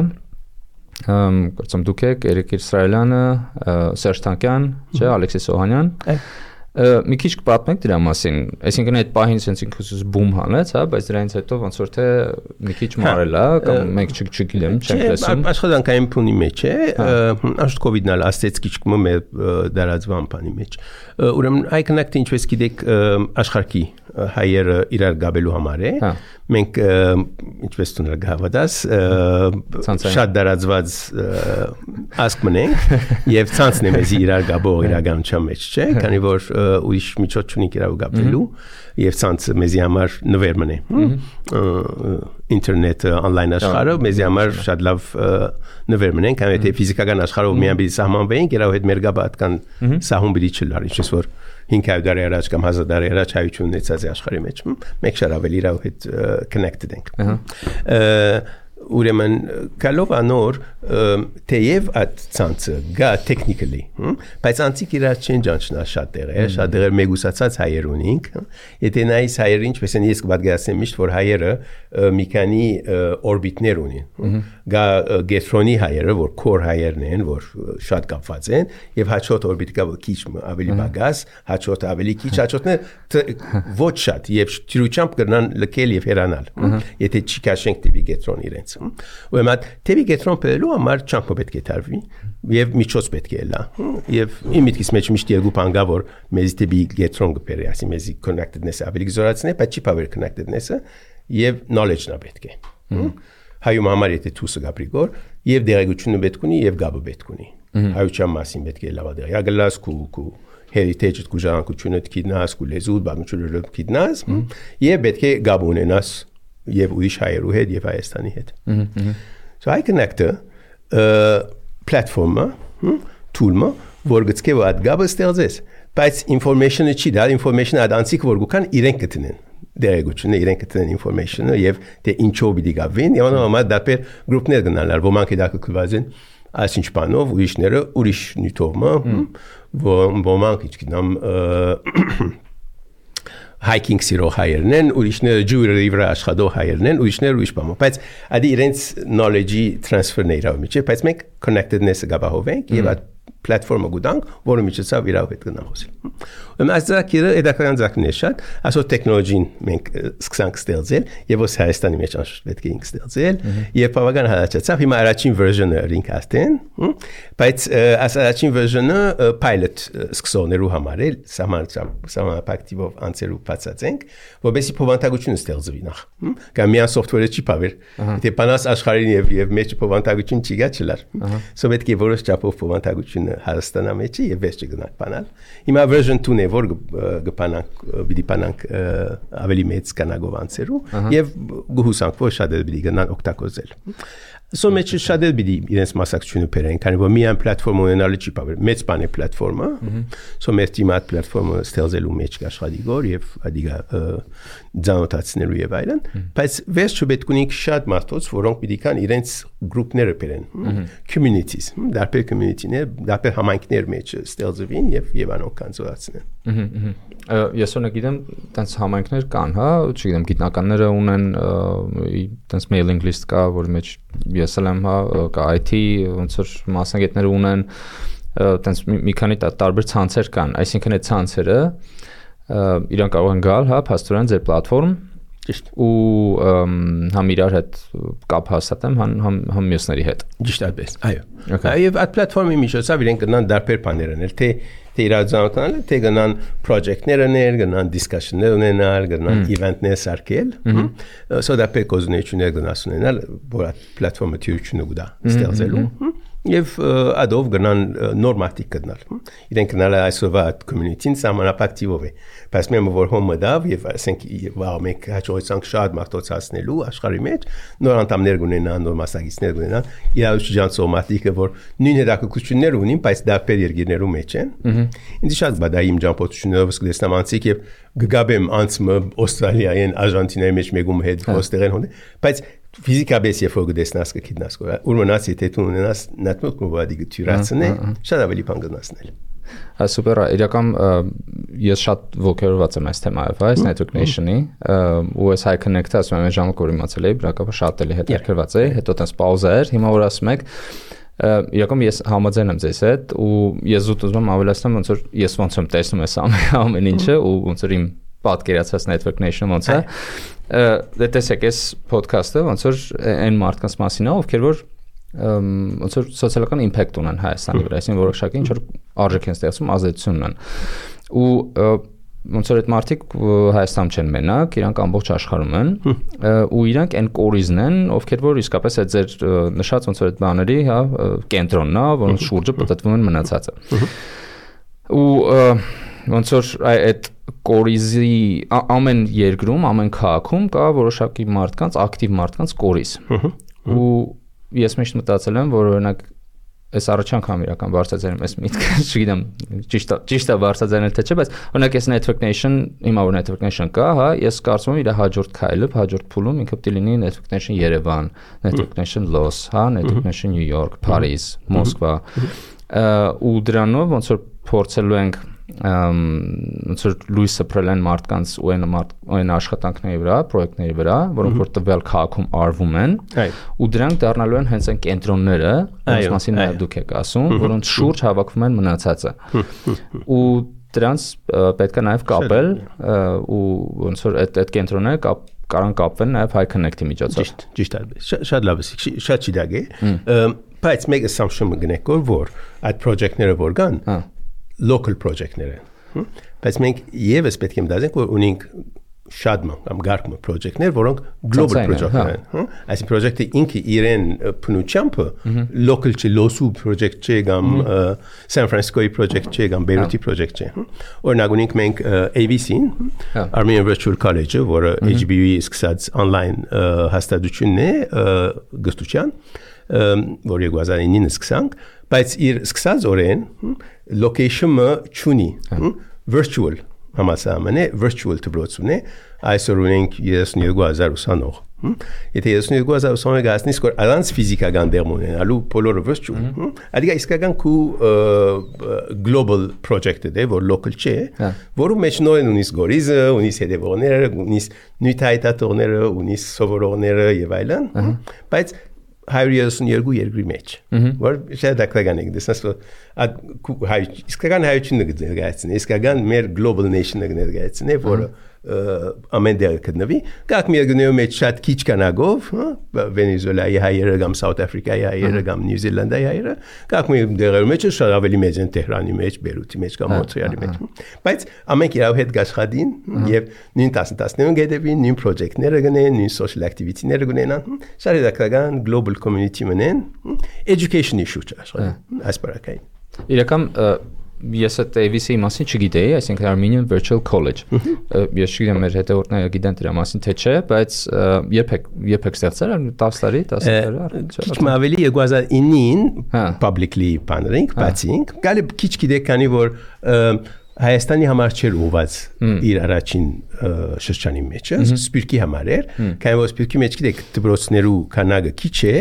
S2: Կարծում դուք եք Էրիկ Իսրայելյանը, Սերժ Թանկյան, չէ, Ալեքսիս Օհանյան։ Մի քիչ կպատմեք դրա մասին, այսինքն այդ պահին sense ինքնուսս բում հանեց, հա, բայց դրանից հետո ոնց որ թե մի քիչ մարել է, կամ մենք չգիտեմ, չենք լսում։
S1: Աշխատանքային փունի մեջ է, աշտ կովիդն ալ աստեց քիչ կմը դարածվան բանի մեջ։ Ուրեմն High Connect-ը ինչպես գիտեք աշխարհի հայերը իրար գաբելու համար է։ Մենք ինչպես դու նկատած շատ դարածված ասկ մնենք եւ ցանցն է մեզ իրար գաբող իրականության մեջ, չէ՞, քանի որ ուրիշ միջոց չունենք իրար գաբելու եւ ցանցը մեզի համար նվեր մնե։ Ինտերնետը on-line աշխարհը մեզի համար շատ լավ նվեր մնենք, քանի որ ֆիզիկական աշխարհով միայն պիտի սահմանվենք, իրար հետ մեր գաբը այդքան սահուն պիտի չլար, ինչպես որ 500 տարի առաջ կամ 1000 տարի առաջ հայություն ունեցած է աշխարհի մեջ, մեկ շատ ավելի իրար հետ connected ենք։ Ուրեմն կալով անոր թեև այդ ցանցը գա technically, բայց անցիկ իրար չեն ճանչնա շատ դեղեր մեգուսացած հայեր ունենք, եթե նայես հայերը ինչպես են ես կպատկերացնեմ միշտ որ հայերը մի քանի օրբիտներ ունեն, գա գետրոնի հայերը որ core հայերն են, որ շատ կապված են եւ հաջորդ օրբիտը քիչ ավելի բագաս, հաջորդը ավելի քիչ, հաջորդը ոչ շատ եւ ճրուճամբ կգնան լքել եւ հեռանալ, եթե չի քաշենք տիպի գետրոն իրենց Ուրեմն թեւի գետրոն բերելու համար չափը պետք է տարվի եւ միջոց պետք է լա եւ իմ միտքից մեջ միշտ երկու բան կա որ մեզի թեւի գետրոն կբերի ասի մեզի connectedness-ը ավելի զորացնի բայց չի power connectedness-ը եւ knowledge-ն է պետք է հայում համար եթե թուսը գաբրիգոր եւ դերակցությունը պետք ունի եւ գաբը պետք ունի հայության մասին պետք է լավա դեր յագլաս կու heritage-ը կուժանկությունը դքիդնաս կու լեզու բաղնչուրը դքիդնաս եւ պետք է գաբ ունենաս եւ ուրիշ հայերու հետ եւ Հայաստանի հետ So High Connect-ը platform-ը, tool-ը, որ գծկե ու այդ գաբը ստեղծես, բայց information-ը չի դա, information-ը այդ անցիկ որ գուքան իրենք կտնեն, դերեգությունը իրենք կտնեն information-ը եւ թե ինչով պիտի գավին, եւ անոնց դեպեր գրուպներ գնալար, ոմանք դա կկվազեն, այսինչ բանով ուրիշները ուրիշ նյութովը, ոմանք իչքինամ hiking սիրող հայերն են, ուրիշները jewelry վրա աշխատող հայերն են, ուրիշները ուրիշ բան, բայց ադի իրենց knowledge-ի transfer-ն է իրավ միջի, բայց մենք connectedness-ը գաբահովենք եւ այդ platform-ը գուտանք, որը միջոցով իրավ հետ գնամ խոսել։ Ուրեմն այս ձակիրը էդական ձակն է շատ, ասո տեխնոլոգին մենք սկսանք ստեղծել եւ ոս Հայաստանի մեջ անշուշտ պետք է ինք ստեղծել եւ բավական հալածացավ հիմա առաջին version-ը ինք աստեն, բայց այս առաջին version-ը pilot սկսողներու համար է, սահմանապակտիվով անցերու բացածենք, որովհետեւ փոխանցագությունը ստեղծվի նախ։ Կամ միան software-ը չի բավեր։ Եթե բանաս աշխարհին եւ մեջ փոխանցագություն չի գա չլար։ Սո պետք է որոշ չափով փոխանցագություն Հայաստանա մեջ եւ վերջ գնանք բանալ։ Հիմա version 2-ն է որ գպանանք պիտի բանանք ավելի մեծ կանագով անցերու եւ գուհուսանք որ շատ պիտի գնան օգտագործել։ Սո մեջ շատ պիտի իրենց մասնակցությունը բերեն, քանի որ միայն պլատֆորմ ունենալը չի բավար, մեծ բան է պլատֆորմը։ Սո մեր թիմը այդ պլատֆորմը ստեղծելու մեջ աշխատի գոր եւ ադիգա ձանոթացնելու եւ այլն, բայց վերջը պետք ունի շատ մարդոց, որոնք պիտի կան իրենց գրուպները բերեն, communities, դարբեր community-ներ, դարբեր համայնքներ մեջ ստեղծվին եւ անոնք կան զորացնեն։
S2: Ես օրինակ գիտեմ, տենց համայնքներ կան, հա, չգիտեմ, գիտնականները ունեն տենց mailing list կա, որի մեջ ես եմ, հա, կա IT, ոնց որ մասնագետները ունեն, տենց մի քանի տարբեր ցանցեր կան, այսինքն այդ ցանցերը իրանք կարող են գալ, հա, փաստորեն ձեր պլատֆորմ
S1: ճիշտ
S2: ու համ իրար հետ կապ հաստատեմ, համ մյուսների հետ։
S1: Ճիշտ այդպես, այո։ Եվ այդ պլատֆորմի միջոցով իրենք գնան դարբեր բաներ անել, թե իրազանոթանալ, թե գնան project-ներ անել, գնան discussion-ներ ունենալ, գնան event-ներ սարքել, so դարբեր կոզունեություններ գնաս ունենալ, որ այդ պլատֆորմը թյուրությունը գուտա ստեղծելու, եւ ադով գնան նորմատիկ գտնալ իրենք գնալ այսօրվա community-ին սահմանափակտիվով է բայց մենք որ հոմը դավ եւ ասենք մենք հաջողեցանք շատ մարտոցացնելու աշխարհի մեջ նոր անդամներ ունենան նոր մասնակիցներ ունենան իրավիճան սոմատիկը որ նույն հետաքրքրություններ ունին բայց դարբեր երկիրներում մեջ են ինձ շատ բադա իմ ջամփոթություններով սկսեմ անցիկ եւ գգաբեմ անցմը Ավստրալիայեն Արժանտինայի մեջ մեգում հետ ոստերեն հոն բայց ֆիզիկաբես երբ որ գտեսնաս կգիտնաս ուրմնաց եթե դու ունենաս նատմոտ մոբադի գտյուրացնե շատ ավելի բան գտնասնել
S2: Սուպեր իրական ես շատ ողջորված եմ այս թեմայով այս network nation-ի ու այս high connect-ը ասում եմ ժամանակ որ իմացել էի բրակապը շատ էլի հետաքրքրված էի հետո տես պաուզա էր հիմա որ ասում եք իրական ես համաձայն եմ ձեզ հետ ու ես ուզում եմ ավելացնեմ ոնց որ ես ոնց եմ տեսնում ես ամեն ինչը ու ոնց որ իմ պատկերացած network nation-ը ոնց է դե տեսեք այս podcast-ը ոնց որ այն մարդկանց մասին է ովքեր որ ոնց որ սոցիալական իմպակտ ունեն Հայաստանի վրա այսինքն որոշակի ինչ որ արժեք են ստեղծում ազդեցություն ունեն ու ոնց որ այդ մարդիկ Հայաստանում չեն մենակ իրանք ամբողջ աշխարհում են ու իրանք այն կորիզն են ովքեր որ իսկապես այդ ձեր նշած ոնց որ այդ բաների հա կենտրոնն է որոնց շուրջը պատտվում են մնացածը ու ոնց որ այդ կորիզի ամեն երկրում ամեն քաղաքում կա որոշակի մարդկանց ակտիվ մարդկանց կորիզ ու ես միշտ մտածել եմ որ օրինակ այս առաջ անգամ իրական բարձրացնում ես միտքը չգիտեմ ճիշտ է բարձրացնել թե չէ բայց օրինակ այս network nation հիմա որ network nation կա հա ես կարծում եմ իր հաջորդ քայլը հաջորդ փուլում ինքը պետք է լինի network nation Երևան network nation Los հա network nation New York Paris Մոսկվա ու դրանով ոնց որ փորձելու ենք ոնց որ լույսը փրելեն մարդկանց ու այն աշխատանքների վրա, պրոյեկտների վրա, որոնք որ տվյալ քաղաքում արվում են, ու դրանք դառնալու են հենց այն կենտրոնները, որոնց մասին նաև դուք եք ասում, որոնց շուրջ հավաքվում են մնացածը։ Ու դրանց պետք է նաև կապել ու ոնց որ այդ կենտրոնները կարան կապվել նաև High Connect-ի միջոցով։
S1: Ճիշտ է, շատ լավ է, շատ ճիշտ է։ Բայց մեկ assumption մգնեք որ այդ project-ները որ կան local project-ներ են։ Բայց մենք եւս պետք է մտածենք որ ունենք շատ կամ գարկմը project-ներ, որոնք global project-ներ են։ Այսինքն project-ը ինքը իրեն փնուչամփը local չի, լոսու project չի կամ San Francisco-ի project չի կամ Beirut-ի project չի։ Օրինակ ունենք մենք ABC-ին, Armenian Virtual College-ը, որը HBU-ի սկսած online հաստատությունն է գստության, որ 2009-ին սկսանք, բայց իր սկսած օրեն location-ը չունի, virtual համասարան է, virtual դպրոցն է, այսօր ունենք 32000 ուսանող։ Եթե 32000 գազնից որ առանց ֆիզիկական դերմ ունենալու բոլորը virtual, adică իսկական քու global project-ը դե որ local չէ, որում մեջ նորեն ունիս գորիզը, ունիս հետևողները, ունիս նյութայտատորները, ունիս սովորողները եւ այլն, բայց 132 երկրի մեջ, որ շատ դակլական է, դեսնաս որ իսկական հայությունը գներգացնի, իսկական մեր global nation-ը գներգացնի, որը ամեն դեր կդնվի, կակ մեր գնեու մեջ շատ քիչ կանագով, Վենեսուելայի հայերը կամ South Africa-ի հայերը կամ Նյու Զիլանդիայի հայերը, կակ մեր դերերու մեջ շատ ավելի մեծ են Տեհրանի մեջ, Բեյրութի մեջ կամ Մոնտրեալի մեջ, բայց ամենք իրավ հետ գաշխատին եւ նույն 10-15 գետեվին նույն project-ները գնեն, նույն social activity-ները գնեն, շատ դակլական global community մնեն, education issue աշխարհ, ասպարակային։
S2: Իրական ես այդ ABC-ի մասին չգիտեի, այսինքն Armenian Virtual College։ Ես չգիտեմ մեր հետևորդները գիտեն դրա մասին թե չէ, բայց երբ եք ստեղծել 10 տարի, 10 տարի։
S1: Քիչ ավելի 2009-ին publicly բանրինք, բացինք, գալի քիչ գիտեք քանի որ Հայաստանի համար չէր ուղված իր առաջին շրջանի մեջ, Սպիրկի համար էր, քանի որ Սպիրկի մեջ գիտեք դպրոցներու քանակը քիչ է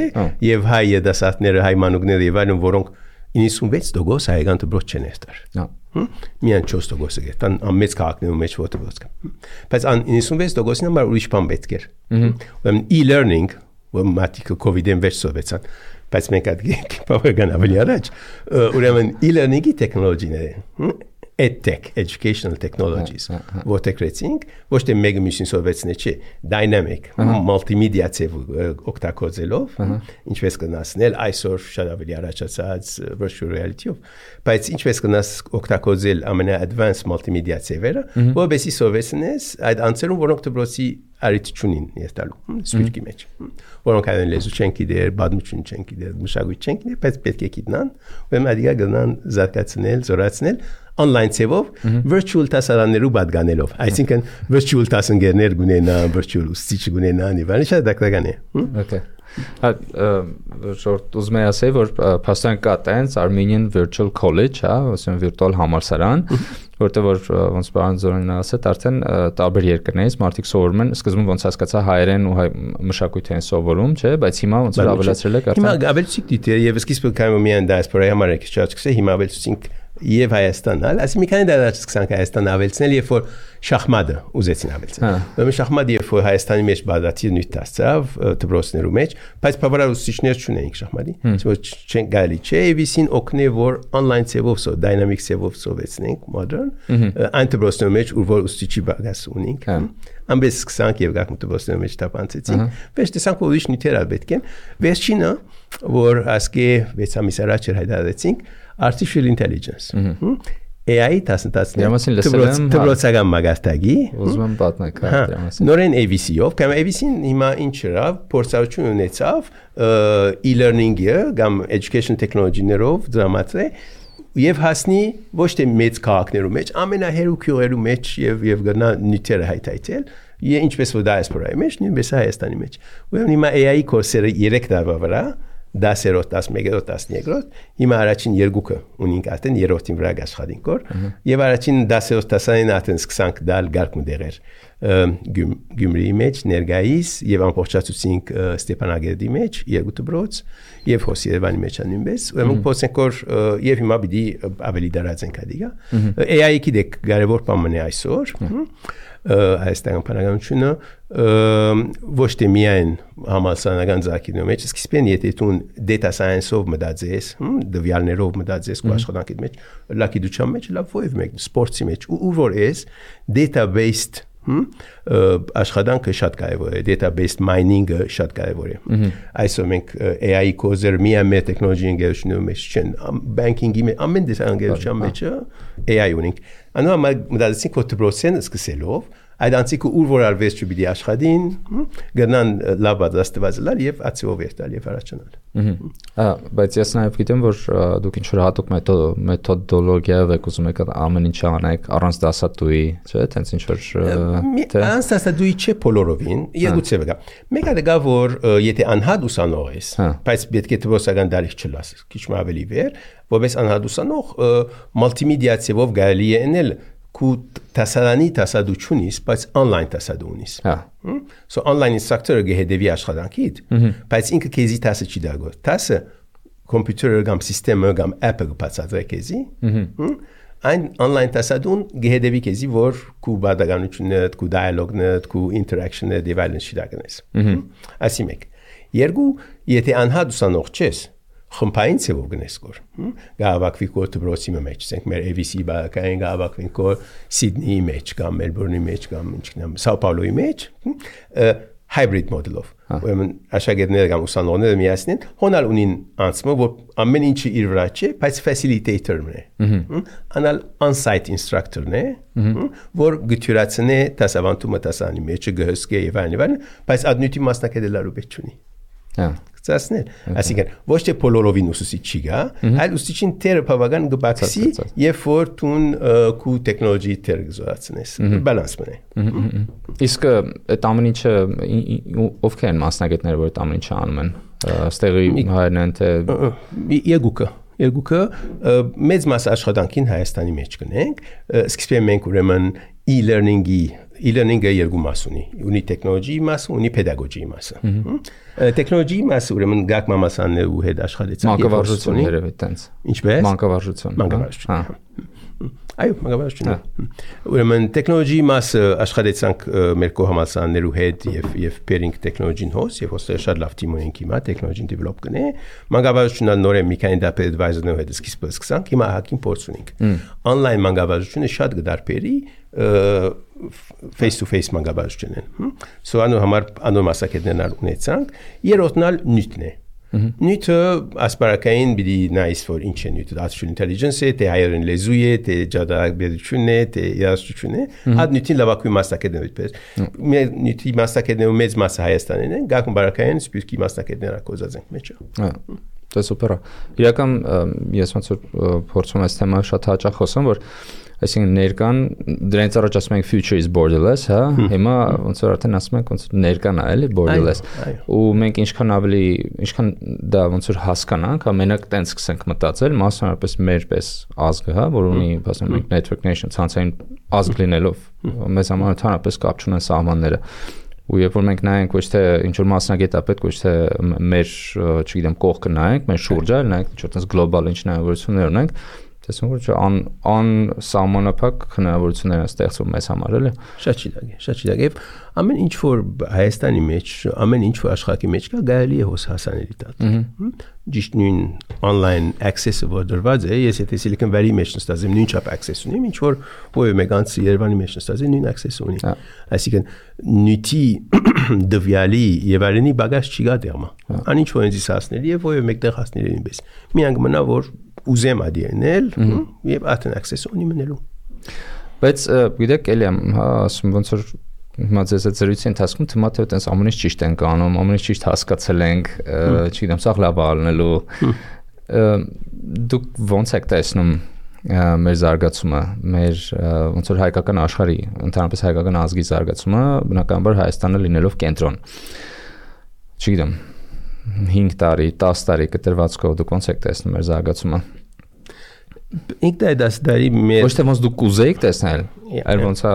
S1: եւ հայ դասատները, հայ մանուկները եւ այլն որոնք 96% հայկական դպրոց չեն երթար։ Միայն 4% է գտան ամեծ քաղաքներում մեջ որ դպրոց կա։ Բայց ան 96%-ին համար ուրիշ բան պետք էր։ Ուրեմն e-learning, որ մատիկը COVID-ին վերջ սովեցան, բայց մենք այդ բավական ավելի առաջ, ուրեմն e-learning-ի տեխնոլոգիները EdTech, Educational Technologies, որտեղ գրեցինք, ոչ թե մեկը մյուսին սովեցնել չէ, dynamic, multimedia ծևով օգտագործելով, ինչպես կնասնել այսօր շատ ավելի առաջացած virtual reality-ով, բայց ինչպես կնաս օգտագործել ամենա-advanced multimedia ծևերը, որովհետեւ սովեցնես այդ անձերում, որոնք դպրոցի արիթ չունին երթալու, սպիրկի մեջ, որոնք այդեն լեզու չեն գիտեր, բադմություն չեն գիտեր, մշակույթ չեն գիտեր, բայց պետք է գիտնան, ուրեմն adiga գնան զարգացնել, զորացնել online ծևով virtual տասարաններու պատկանելով, այսինքն virtual տասընկերներ գունենան, virtual ուսուցիչ գունենան, եւ այլն, շատ դակտական է։
S2: Okay. Շորտ ուզում եմ ասել, որ փաստորեն կա տենց Armenian Virtual College, հա, ասեն վիրտուալ համալսարան, որտեղ որ ոնց բան զորին ասეთ, արդեն տարբեր երկրներից մարդիկ սովորում են, սկզբում ոնց հասկացա հայերեն ու հայ մշակույթ են սովորում, չէ, բայց հիմա ոնց որ ավելացրել եք արդեն։
S1: Հիմա ավելացիկ դիտեր եւ սկիզբը կայում միան դիասպորայի համար եք չացկսե, հիմա ավելացինք եւ Հայաստան, այսինքն մի քանի դարաշ սկսանք Հայաստան ավելցնել, երբ որ շախմատը ուզեցին ավելցնել։ Ուրեմն շախմատը երբ որ Հայաստանի մեջ բادرացի նույն դարձավ դպրոցներու մեջ, բայց բավարար ուսուցիչներ չունեինք շախմատի։ Ոչ չեն գալի, չէ, Էվիսին օգնե որ on-line ծևով, dynamic ծևով սովեցնենք modern, այն դպրոցներու մեջ ուր որ ուսուցիչի բագաս ունենք։ Ամբես սկսանք եւ գաք դպրոցներու մեջ տապանցեցինք։ Բայց տեսանք որ ուրիշ նյութեր պետք են։ Վերջինը, որ ասկե 6 ամիս առաջ հայտարարեցինք artificial intelligence. AI տասնտասներ դպրոցական մագարտագի
S2: ուզում եմ պատմեք
S1: նորեն AVC-ով կամ AVC-ն հիմա ինչրա փորձառություն ունեցավ e-learning-ը կամ education technology-ներով դրամատրե եւ հասնի ոչ թե մեծ քաղաքներու մեջ ամենահերուքյուրերու մեջ եւ գնա նյութերը հայտայել եւ ինչպես որ դիասպորայի մեջ նույնպես Հայաստանի մեջ ուրեմն հիմա AI կորսերը 3 տարվա վրա 10-րդ, 11-րդ, 12-րդ, հիմա առաջին երկուքը ունենք արդեն երրորդին վրա աշխատենք որ եւ առաջին 10-րդ տասանին արդեն սկսանք դալ գարկում դեղեր Գյումրիի մեջ ներգայիս եւ ամբողջացուցինք Ստեփանագերդի մեջ երկու դպրոց եւ Հոսիերևանի մեջ նույնպես ուրեմն փոսենք որ եւ հիմա պիտի ավելի դարածենք adiga AI-ի գիտեք կարևոր բան է այսօր Հայաստան բանականությունը ոչ թե միայն համալսարանական զարգացումի մեջ, սկիզբեն եթե դու data science-ով մտածես, դվյալներով մտածես ու աշխատանքի մեջ, լագիտության մեջ, լավ ով մեկ սպորտի մեջ, ու որ էս data-based աշխատանքը շատ կարևոր է, data-based mining-ը շատ կարևոր է։ Այսօր մենք AI կոզեր միայն մեր տեխնոլոգիայի ընկերությունների մեջ չեն, banking-ի մեջ, ամեն դեսանգերության մեջ AI ունենք։ Անոնց մտածեցինք որ դպրոցեն սկսելով այդ անցիկը ուր որ արվես չպիտի աշխատին, գնան լավ պատրաստված լալ եւ ացիով երթալ եւ առաջանալ։
S2: Բայց ես նաեւ գիտեմ որ դուք ինչ որ հատուկ մեթոդոլոգիայով եք ուզում եք ամեն ինչ անեք առանց դասատուի, չէ՞, տենց ինչ որ
S1: առանց դասատուի չէ բոլորովին, երկու ծև կա։ Մեկը դա որ եթե անհատ ուսանող ես, բայց պետք է դպրոցական դարիք չլաս, քիչ ավելի վեր, որպես անհատ ուսանող մուլտիմեդիա ծևով գալի է էնել ku tasarani tasaduçunis, բայց online tasadunis. So online instructor gehedevի աշխատանքիդ, բայց ինքը քեզի տասը չի դագոր։ Տասը կոմպյուտերը կամ սիստեմը կամ app-ը կբացատրի քեզի։ Այն online tasadun gehedevի քեզի որ ku բադականությունները, ku dialogue-ները, ku interaction-ները դիվայլն չի դագնես։ Ասի մեկ։ Երկու, եթե անհատ ուսանող չես, խմբային ծևով գնես կոր գավակվի կոր դպրոցի մեջ ասենք մեր AVC բակային գավակվին կոր Սիդնեի մեջ կամ Մելբուրնի մեջ կամ ինչքան Սաո Պաուլոյի մեջ hybrid model-ով ուրեմն աշակերտները կամ ուսանողները միասին հոնալ ունին անցումը որ ամեն ինչը իր վրա չէ բայց facilitator-ն է անալ on-site instructor-ն է որ գտյուրացնե դասավանդումը դասանի մեջ գհսկե եւ այլն բայց adnути մասնակցելու պետք չունի Ծասներ, այսինքն ոչ թե բոլորովին ուսուցիչ չի գա, այլ ուսուցիչին թերը բավական գբաքսի եւ որ տուն քու տեխնոլոգիի թեր գզորացնես, բալանս մնա։
S2: Իսկ այդ ամեն ինչը ովքեր են մասնագետները, որ այդ ամեն ինչը անում են, ստեղի հայերն են թե
S1: Երկուքը մեծ մաս աշխատանքին Հայաստանի մեջ կնենք, սկսել մենք ուրեմն e-learning-ը երկու մաս ունի տեխնոլոգիի մասը, ունի պեդագոգիի մասը։ Տեխնոլոգիի մասը ուրեմն գակ մամասաններու հետ աշխատեցինք։
S2: Մանկավարժություն երևի տենց։
S1: Ինչպես։
S2: Մանկավարժություն։
S1: Այո, մագավարժությունը։ Ուրեմն տեխնոլոգիի մասը աշխատեցանք մեր կողմասաններու հետ եւ pairing տեխնոլոգին հոս եւ ոստեղ շատ լավ թիմ ունենք հիմա տեխնոլոգին develop կնե։ Մագավարժությունը նոր է մի քանի դեպի advisor-ներով հետ սկիզբը սկսանք, հիմա հակին փորձ ունենք։ Online մագավարժությունը շատ գդարբերի face to face մագավարժությունն է։ So անոր համար անոր մասնակիցներն ունեցանք, երրորդնալ նյութն է։ Նյութը ասպարակային բիդի նայս որ ինչ է նյութը artificial intelligence է, թե հայերեն լեզու է, թե ջադագիտությունն է, թե երաժշտությունն է, այդ նյութին լավագույն մասնակիցներն այդպես։ Մեր նյութի մասնակիցներու մեծ մասը Հայաստանին են, գաղ բարակային սպյուրքի մասնակիցները կոզած ենք մեջը։
S2: Դա սուպեր է։ Իրական ես ոնց որ փորձում եմ այս թեմա շատ հաճախ խոսեմ, որ այսինքն ներկան դրանից առաջ ասում ենք future is borderless, հա, հիմա ոնց որ արդեն ասում ենք ոնց ներկան է, էլի borderless։ Ու մենք ինչքան դա ոնց որ հասկանանք, ամենակ տենց սկսենք մտածել, մասնավորապես մեր պես ազգը, հա, որ ունի, ասենք մենք network nation ցանցային ազգ լինելով, մեզ համար ընդհանրապես կապ չունեն սահմանները։ Ու երբ որ մենք նայենք ոչ թե ինչ որ մասնագետ ապետ, ոչ թե մեր, չգիտեմ, կողքը նայենք, մեր շուրջը նայենք, ինչ որ տես գլոբալ ինչ հնարավորություններ ունենք, տեսնում որ անսահմանափակ հնարավորություններ են ստեղծվում մեզ համար, էլի։
S1: Շատ ճիշտ է։ Եվ ամեն ինչ որ Հայաստանի մեջ, ամեն ինչ որ աշխարհի մեջ կա, գալի է հոս հասանելի դատա։ Ճիշտ նույն online access-ը որ դրված է, ես եթե Silicon Valley մեջ նստած եմ, նույն չափ access ունեմ, ինչ որ ովը մեգանց Երևանի մեջ նստած է, նույն access ունի։ Այսինքն նյութի դվյալի եւ արենի բագաժ չի գա դերմա։ Անինչ որ ինձ հասնել եւ ովը մեկտեղ հասնել ինպես։ Միանգ մնա որ ուզեմ ադինել եւ աթն access ունի մնելու։
S2: Բայց գիտեք էլի հա ասում ոնց որ հիմա ձեզ այդ զրույցի ընթացքում թվում է թե այտենց ամեն ինչ ճիշտ ենք անում, ամեն ինչ ճիշտ հասկացել ենք, չգիտեմ, սաղ լավ ալնելու։ Դուք ոնց եք տեսնում մեր զարգացումը, մեր ոնց որ հայկական աշխարհի, ընդհանրապես հայկական ազգի զարգացումը, բնականաբար Հայաստանը լինելով կենտրոն։ Չգիտեմ, 5 տարի, 10 տարի կտրվածքով դուք ոնց եք տեսնում մեր զարգացումը։
S1: Ինքն այդ դասդարի մեր
S2: ոչ թե ոնց դուք կուզեիք տեսնել, այլ ոնց է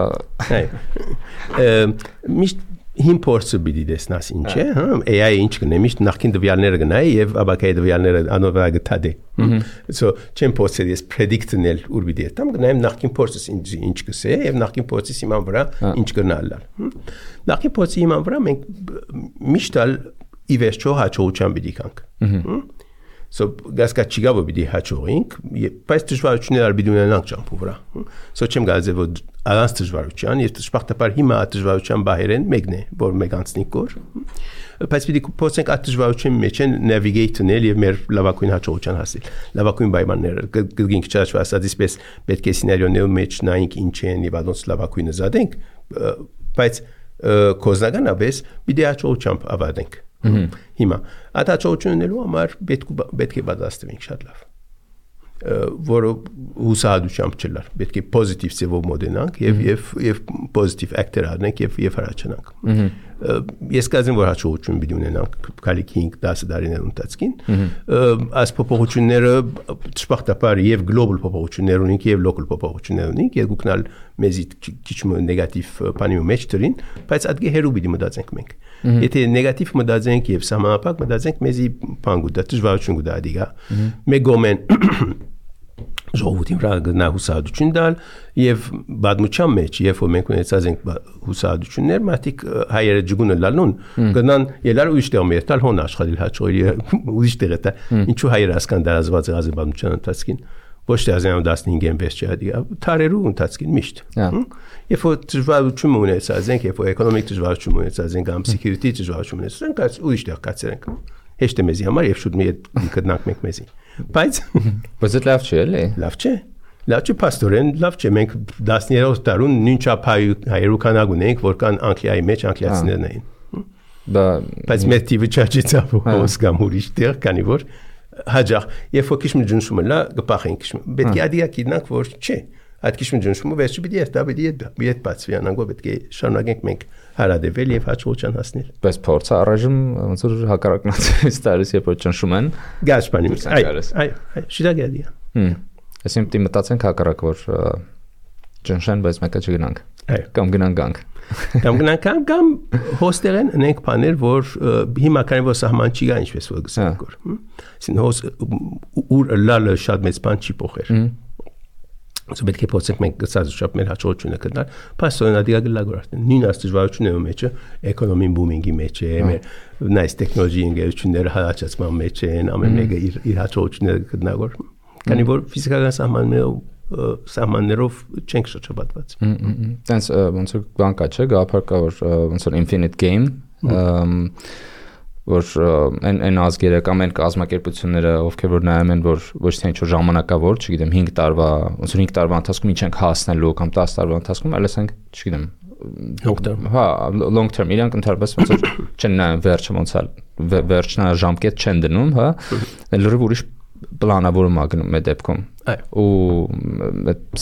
S1: միշտ հին փորձը պիտի տեսնաս ինչ է, հա, AI ինչ կնե, միշտ նախքին դվյալները գնայի եւ աբակայի դվյալները անովա գտադե։ So չեմ փորձել ես predict-նել ուր պիտի եմ, գնայեմ նախքին փորձս ինչ կսե եւ նախքին փորձի հիման վրա ինչ կնալալ։ Նախքին փորձի հիման վրա մենք միշտ ի վերջո հաջողության պիտի կանք։ So գասկա չիգա որ պիտի հաջողենք, բայց դժվարություններ արբիդ ունենանք ճամփու վրա։ So չեմ գալու որ առանց դժվարության, եւ դժբախտաբար հիմա դժվարության բահերեն մեկն է, որ մեկ անցնի կոր։ Բայց պիտի փորձենք այդ դժվարության մեջ navigate-նել եւ մեր լավագույն հաջողության հասնել։ Լավագույն պայմանները գինք չաչված ասածպես պետք է սցենարիոների մեջ նայենք ինչ են եւ adons լավագույնը զադենք, բայց կոզնականապես պիտի հաջողությամբ ավարտենք։ Հիմա այդ հաջողություններու համար պետք է պատրաստվենք շատ լավ, որը հուսահատությամբ չլար, պետք է պոզիտիվ ձևով մոդենանք եւ պոզիտիվ actor արնենք եւ հրաչանանք։ Ես կազմեմ որ հաջողություն պիտի ունենանք քալի 5-10 տարիներ ընթացքին, այս փոփոխությունները դժբախտաբար եւ գլոբալ փոփոխություններ ունենք եւ լոկալ փոփոխություններ ունենք, երկուքնալ մեզի քիչ նեգատիվ բանի մեջ դրին, բայց ադգե հերու պիտի մտածենք մենք։ Եթե նեգատիվ մտածենք եւ սահմանափակ մտածենք մեզի բան գուտա դժվարություն գուտա դիգա մեկ գոմեն ժողովրդին վրա գնա հուսահատություն դալ եւ բադմուչան մեջ երբ որ մենք ունեցած ենք հուսահատություններ մարդիկ հայերը ջգունը լալուն գնան ելար ուրիշ տեղ մերտալ հոն աշխատել հաջողի ուրիշ տեղ է ինչու հայերը ասկան դարազված եղած բադմուչան ընթացքին ոչ թե 15-ին վես չհադի թարերու ընթացքին միշտ երբ որ դժվարություն ունեցած ենք երբ որ էկոնոմիկ դժվարություն ունեցած ենք կամ security դժվարություն ունեցած ենք այս ուրիշ տեղ կացրենք հեշտ է մեզի համար եւ շուտ մի գտնանք մենք մեզի բայց
S2: դա լավ չէ էլի
S1: լավ չէ պաստորեն լավ չէ մենք 13-րդ տարուն նույն չափ հայերու կանակ ունենք որ կան անգլիայի մեջ անգլիացիներն էին բայց մեր տիպը չաճեցավ ոս կամ ուրիշ տեղ քանի որ հաջող երբ որ քիչ մջնշումը լա գպախենք պետք է ադիա կիդնանք որ չէ այդ քիչ մջնշումը վերջի պիտի է պիտի է բացվի անանգո պետք է շարունակենք մենք հարադեվել եւ հաջողության հասնել
S2: բայց փորձը առայժմ ոնց որ հակառակնացից տարիս երբ որ ճնշում են
S1: գաշպանի այ շիդագադիա
S2: այսինքն դի մտածենք հակառակ որ ճնշեն բայց մեկը չգնանք կամ գնանք կամ հոստերեն ունենք բաներ որ հիմա քանի որ սահման չի գա ինչպես որ գսենք որ այսին հոս ուր լալը շատ մեծ բան չի փոխեր
S1: Ոնց պետք է փոխենք մենք գծած շապ մեր հաջողությունը գտնել, փաստորեն ադիգա գլագորտ։ Նույն աստիճանությունների մեջ էկոնոմին բումինգի մեջ է, մեր նայս տեխնոլոգիայի ընկերությունները հալածման մեջ են, ամեն մեկը իր հաջողությունները գտնավոր։ Քանի որ ֆիզիկական սահմաններով չենք շրջապատված։
S2: Տենց ոնց որ բան կա, չէ՞, գաղափար կա, որ ոնց որ infinite game, որ այն ազգերը կամ այն կազմակերպությունները, ովքեր որ նայում են, որ ոչ թե ինչ-որ ժամանակավոր, չգիտեմ, 5 տարվա, ոնց որ 5 տարվա ընթացքում ինչ ենք հասնելու կամ 10 տարվա ընթացքում, այլ ասենք, չգիտեմ,
S1: long term։
S2: Հա, long term, իրանք ընդհանրապես ոնց որ չեն նայում վերջը ոնց է, վերջնաժամկետ չեն դնում, հա, լրիվ ուրիշ պլանավորում ա գնում այդ դեպքում։ Ու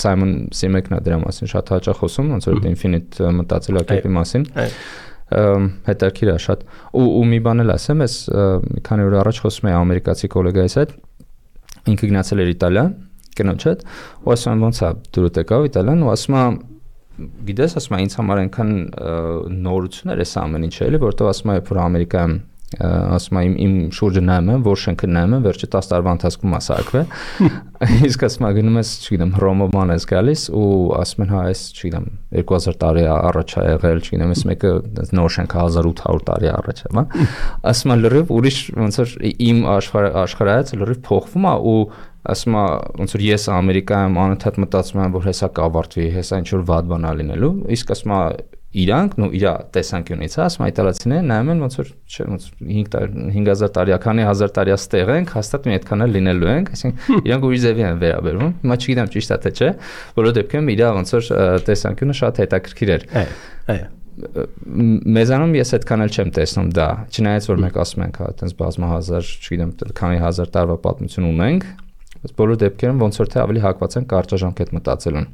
S2: Սայմոն Սիմեկն է դրա մասին շատ հաճախ խոսում, ոնց որ infinite մտածելակերպի մասին։ Հետաքրքիր է շատ։ Ու մի բան էլ ասեմ, ես մի քանի օր առաջ խոսում էի ամերիկացի գոլեգայիս հետ, ինքը գնացել էր Իտալիա, կնոջ հետ, ու ասում եմ ոնց է դուրս եկավ Իտալիան, ու ասում եմ գիտես, ասում եմ ինձ համար այնքան նորություն էր այս ամեն ինչը, էլի, որովհետև ասում եմ որ Ամերիկայում ասում եմ իմ շուրջը նայում եմ, որ շենքը նայում եմ, վերջը 10 տարվա ընթացքում մասարկվել։ Իսկ ասում եմ գնում ես, չգիտեմ, Հռոմոման ես գալիս ու ասում են հա, այս, չգիտեմ, 2000 տարի առաջ է եղել, չգիտեմ, այս մեկը նոր շենքը 1800 տարի առաջ է, հա։ Ասում եմ լրիվ ուրիշ ոնց որ իմ աշխարհայացը լրիվ փոխվում է ու ասում եմ ոնց որ ես Ամերիկայում անընդհատ մտածում եմ որ հեսա կավարտվի, հեսա ինչ որ վատ բան ա լինելու, իսկ ասում եմ իրանք նո իր տեսանկյունից ասում այտալացիները նայում են ոնց որ չէ ոնց 5000 տարի, քանի 1000 տարի աստեղ ենք, հաստատ մի այդքան էլ լինելու ենք, այսինքն իրանք ուրիշ ձևի են վերաբերվում։ Հիմա չգիտեմ ճիշտ է թե չէ, բոլոր դեպքերում իր ոնց որ տեսանկյունը շատ հետաքրքիր էր։ Մեզանում ես այդքան էլ չեմ տեսնում դա, չնայած որ մենք ասում ենք հա այտենց բազմահազար, չգիտեմ, քանի հազար տարվա պատմություն ունենք, բայց բոլոր դեպքերում ոնց որ թե ավելի հակված են կարճաժամկետ մտածելուն։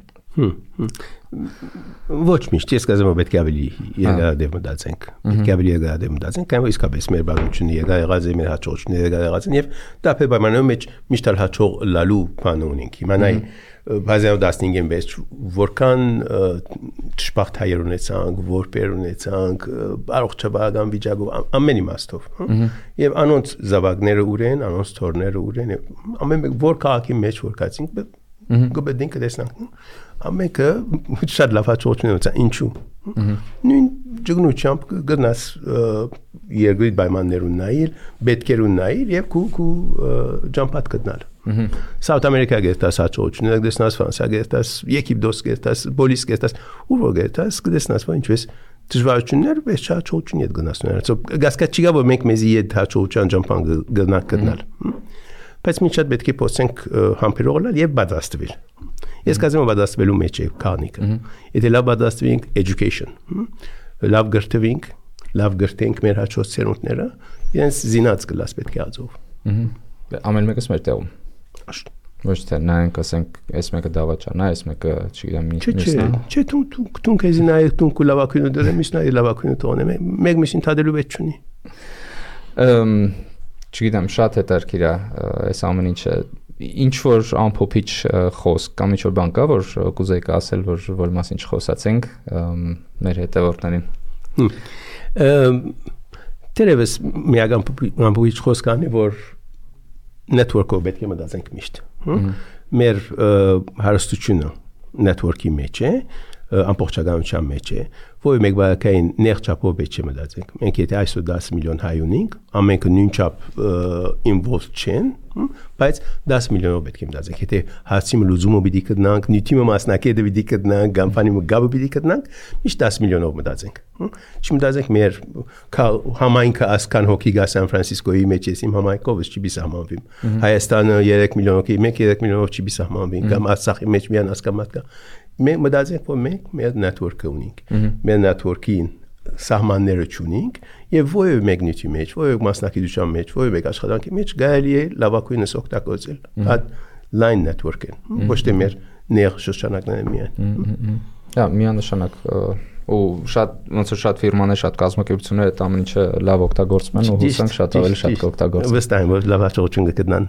S1: Ոչ միշտ, ես կասեմ, որ պետք է ավելի երկարադեպ մտածենք։ Պետք է ավելի երկարադեպ մտածենք, կամ իսկապես մեր բաղությունները եղած է, մեր հաջողությունները եղած են, եւ դա պայմաններում մեջ միշտ էլ հաջող լալու բան ունենք։ Հիմա նայ բազայով 15-ին մեջ որքան ճշմարտ հայեր ունեցանք, որպեր ունեցանք, առողջապահական վիճակով ամեն իմաստով, եւ անոնց զավակները ուր են, անոնց թորները ուր են, ամեն մեկ որ քաղաքի մեջ որ կացինք, գոբեդին կտեսնանք։ Ամենքը շատ լավ հաջողություն ունեցա, ինչու։ Նույն ճգնությամբ գնաս երկրի պայմաններուն նայել, պետքերուն նայել եւ քու ջամփատ գտնալ։ South America գերտաս հաջողություն, դեսնաս Ֆրանսիա գերտաս, Եգիպտոս գերտաս, Բոլիս գերտաս, ուր որ գերտաս, դեսնաս որ ինչպես դժվարություններ վեց հաջողություն իդ գնասներ։ Գասկա չկա որ մենք մեզի իդ հաջողության ջամփան գնանք գտնալ։ Բայց մենք շատ պետք է փոխենք համբերողալ եւ պատրաստվել։ Ես կասեմ որ պատրաստվելու մեջ է քանիկը։ Եթե լավ պատրաստվենք education, լավ գրթվենք, լավ գրթենք մեր հաջորդ սերունդները, իրենց զինած կլաս պետք է ածով։
S2: Ամեն մեկս մեր տեղում։ Ոչ թե նայենք ասենք, այս մեկը դավաճան է, այս մեկը չգիտեմ ինչն է։
S1: Չէ, դու քեզ նայեք, դու լավակույնը դրեմ, իսկ նայ լավակույնը տոնեմ, մեկ միշտ թադելու պետք չունի։
S2: Չգիտեմ, շատ հետաքրքիր է այս ամեն ինչը։ Ինչ որ ամփոփիչ խոսք կամ ինչ որ բան կա, որ կուզեիք ասել, որ մասին չխոսացենք մեր հետևորդներին։
S1: Դերևս միակ ամփոփիչ խոսք անի, որ network-ով պետք է մտածենք միշտ։ Մեր հարստությունը network-ի մեջ է, ամբողջականության մեջ է, որ մեկ բակային ներչապով պետք է մտածենք։ Մենք եթե այսօր 10 միլիոն հայ ունենք, ամենքը նույն չափ involved չեն, բայց 10 միլիոնով պետք է մտածենք։ Եթե հարցի լուծումը պիտի գտնանք, նյութի մասնակետը պիտի գտնանք, կամպանիա գաբը պիտի գտնանք, միշտ 10 միլիոնով մտածենք։ Չմտածենք մեր համայնքը ասքան հոգի գա Սան Ֆրանցիսկոյի մեջ ես իմ համայնքով չի բիսահմանվի։ Հայաստանը 3 միլիոն հոգի, մենք 3 միլիոնով չի բիսահմանվի, կամ Արցախի մեջ միան ասկամատ կա։ Մենք մտածենք, որ մենք մեր network-ը ունենք։ Մեր network-ին սահմանները չունենք եւ ովը մեկնիթի մեջ, ովը մասնակցության մեջ, ովը մեկ աշխատանքի մեջ գալի է լավակույնս օգտագործել։ Այդ line network-ն, ոչ թե մեր ներ շրջանակներն միայն։
S2: Հա, միանշանակ ու շատ ոնց որ շատ ֆիրմաներ, շատ կազմակերպություններ այդ ամեն ինչը լավ օգտագործում են ու հուսանք շատ ավելի շատ կօգտագործեն։
S1: Վստահ եմ, որ լավ հաջողություն կգտնան։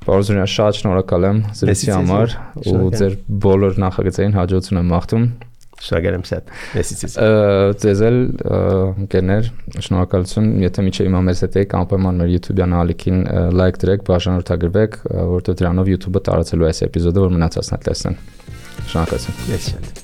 S2: Պարզորեն շատ շնորհակալ եմ զրույցի համար ու ձեր բոլոր նախագծերին հաջողություն եմ մաղթում։
S1: Շնորհակալ եմ շատ։ Մեսիցես։
S2: Ձեզ էլ ընկերներ, շնորհակալություն, եթե միջև հիմա մեզ հետ եք, անպայման մեր YouTube-յան ալիքին լայք դրեք, բաժանորդագրվեք, որովհետև դրանով YouTube-ը տարածելու այս էպիզոդը, որ մնացածն էլ տեսնեն։ Շնորհակալություն։
S1: Ես շատ։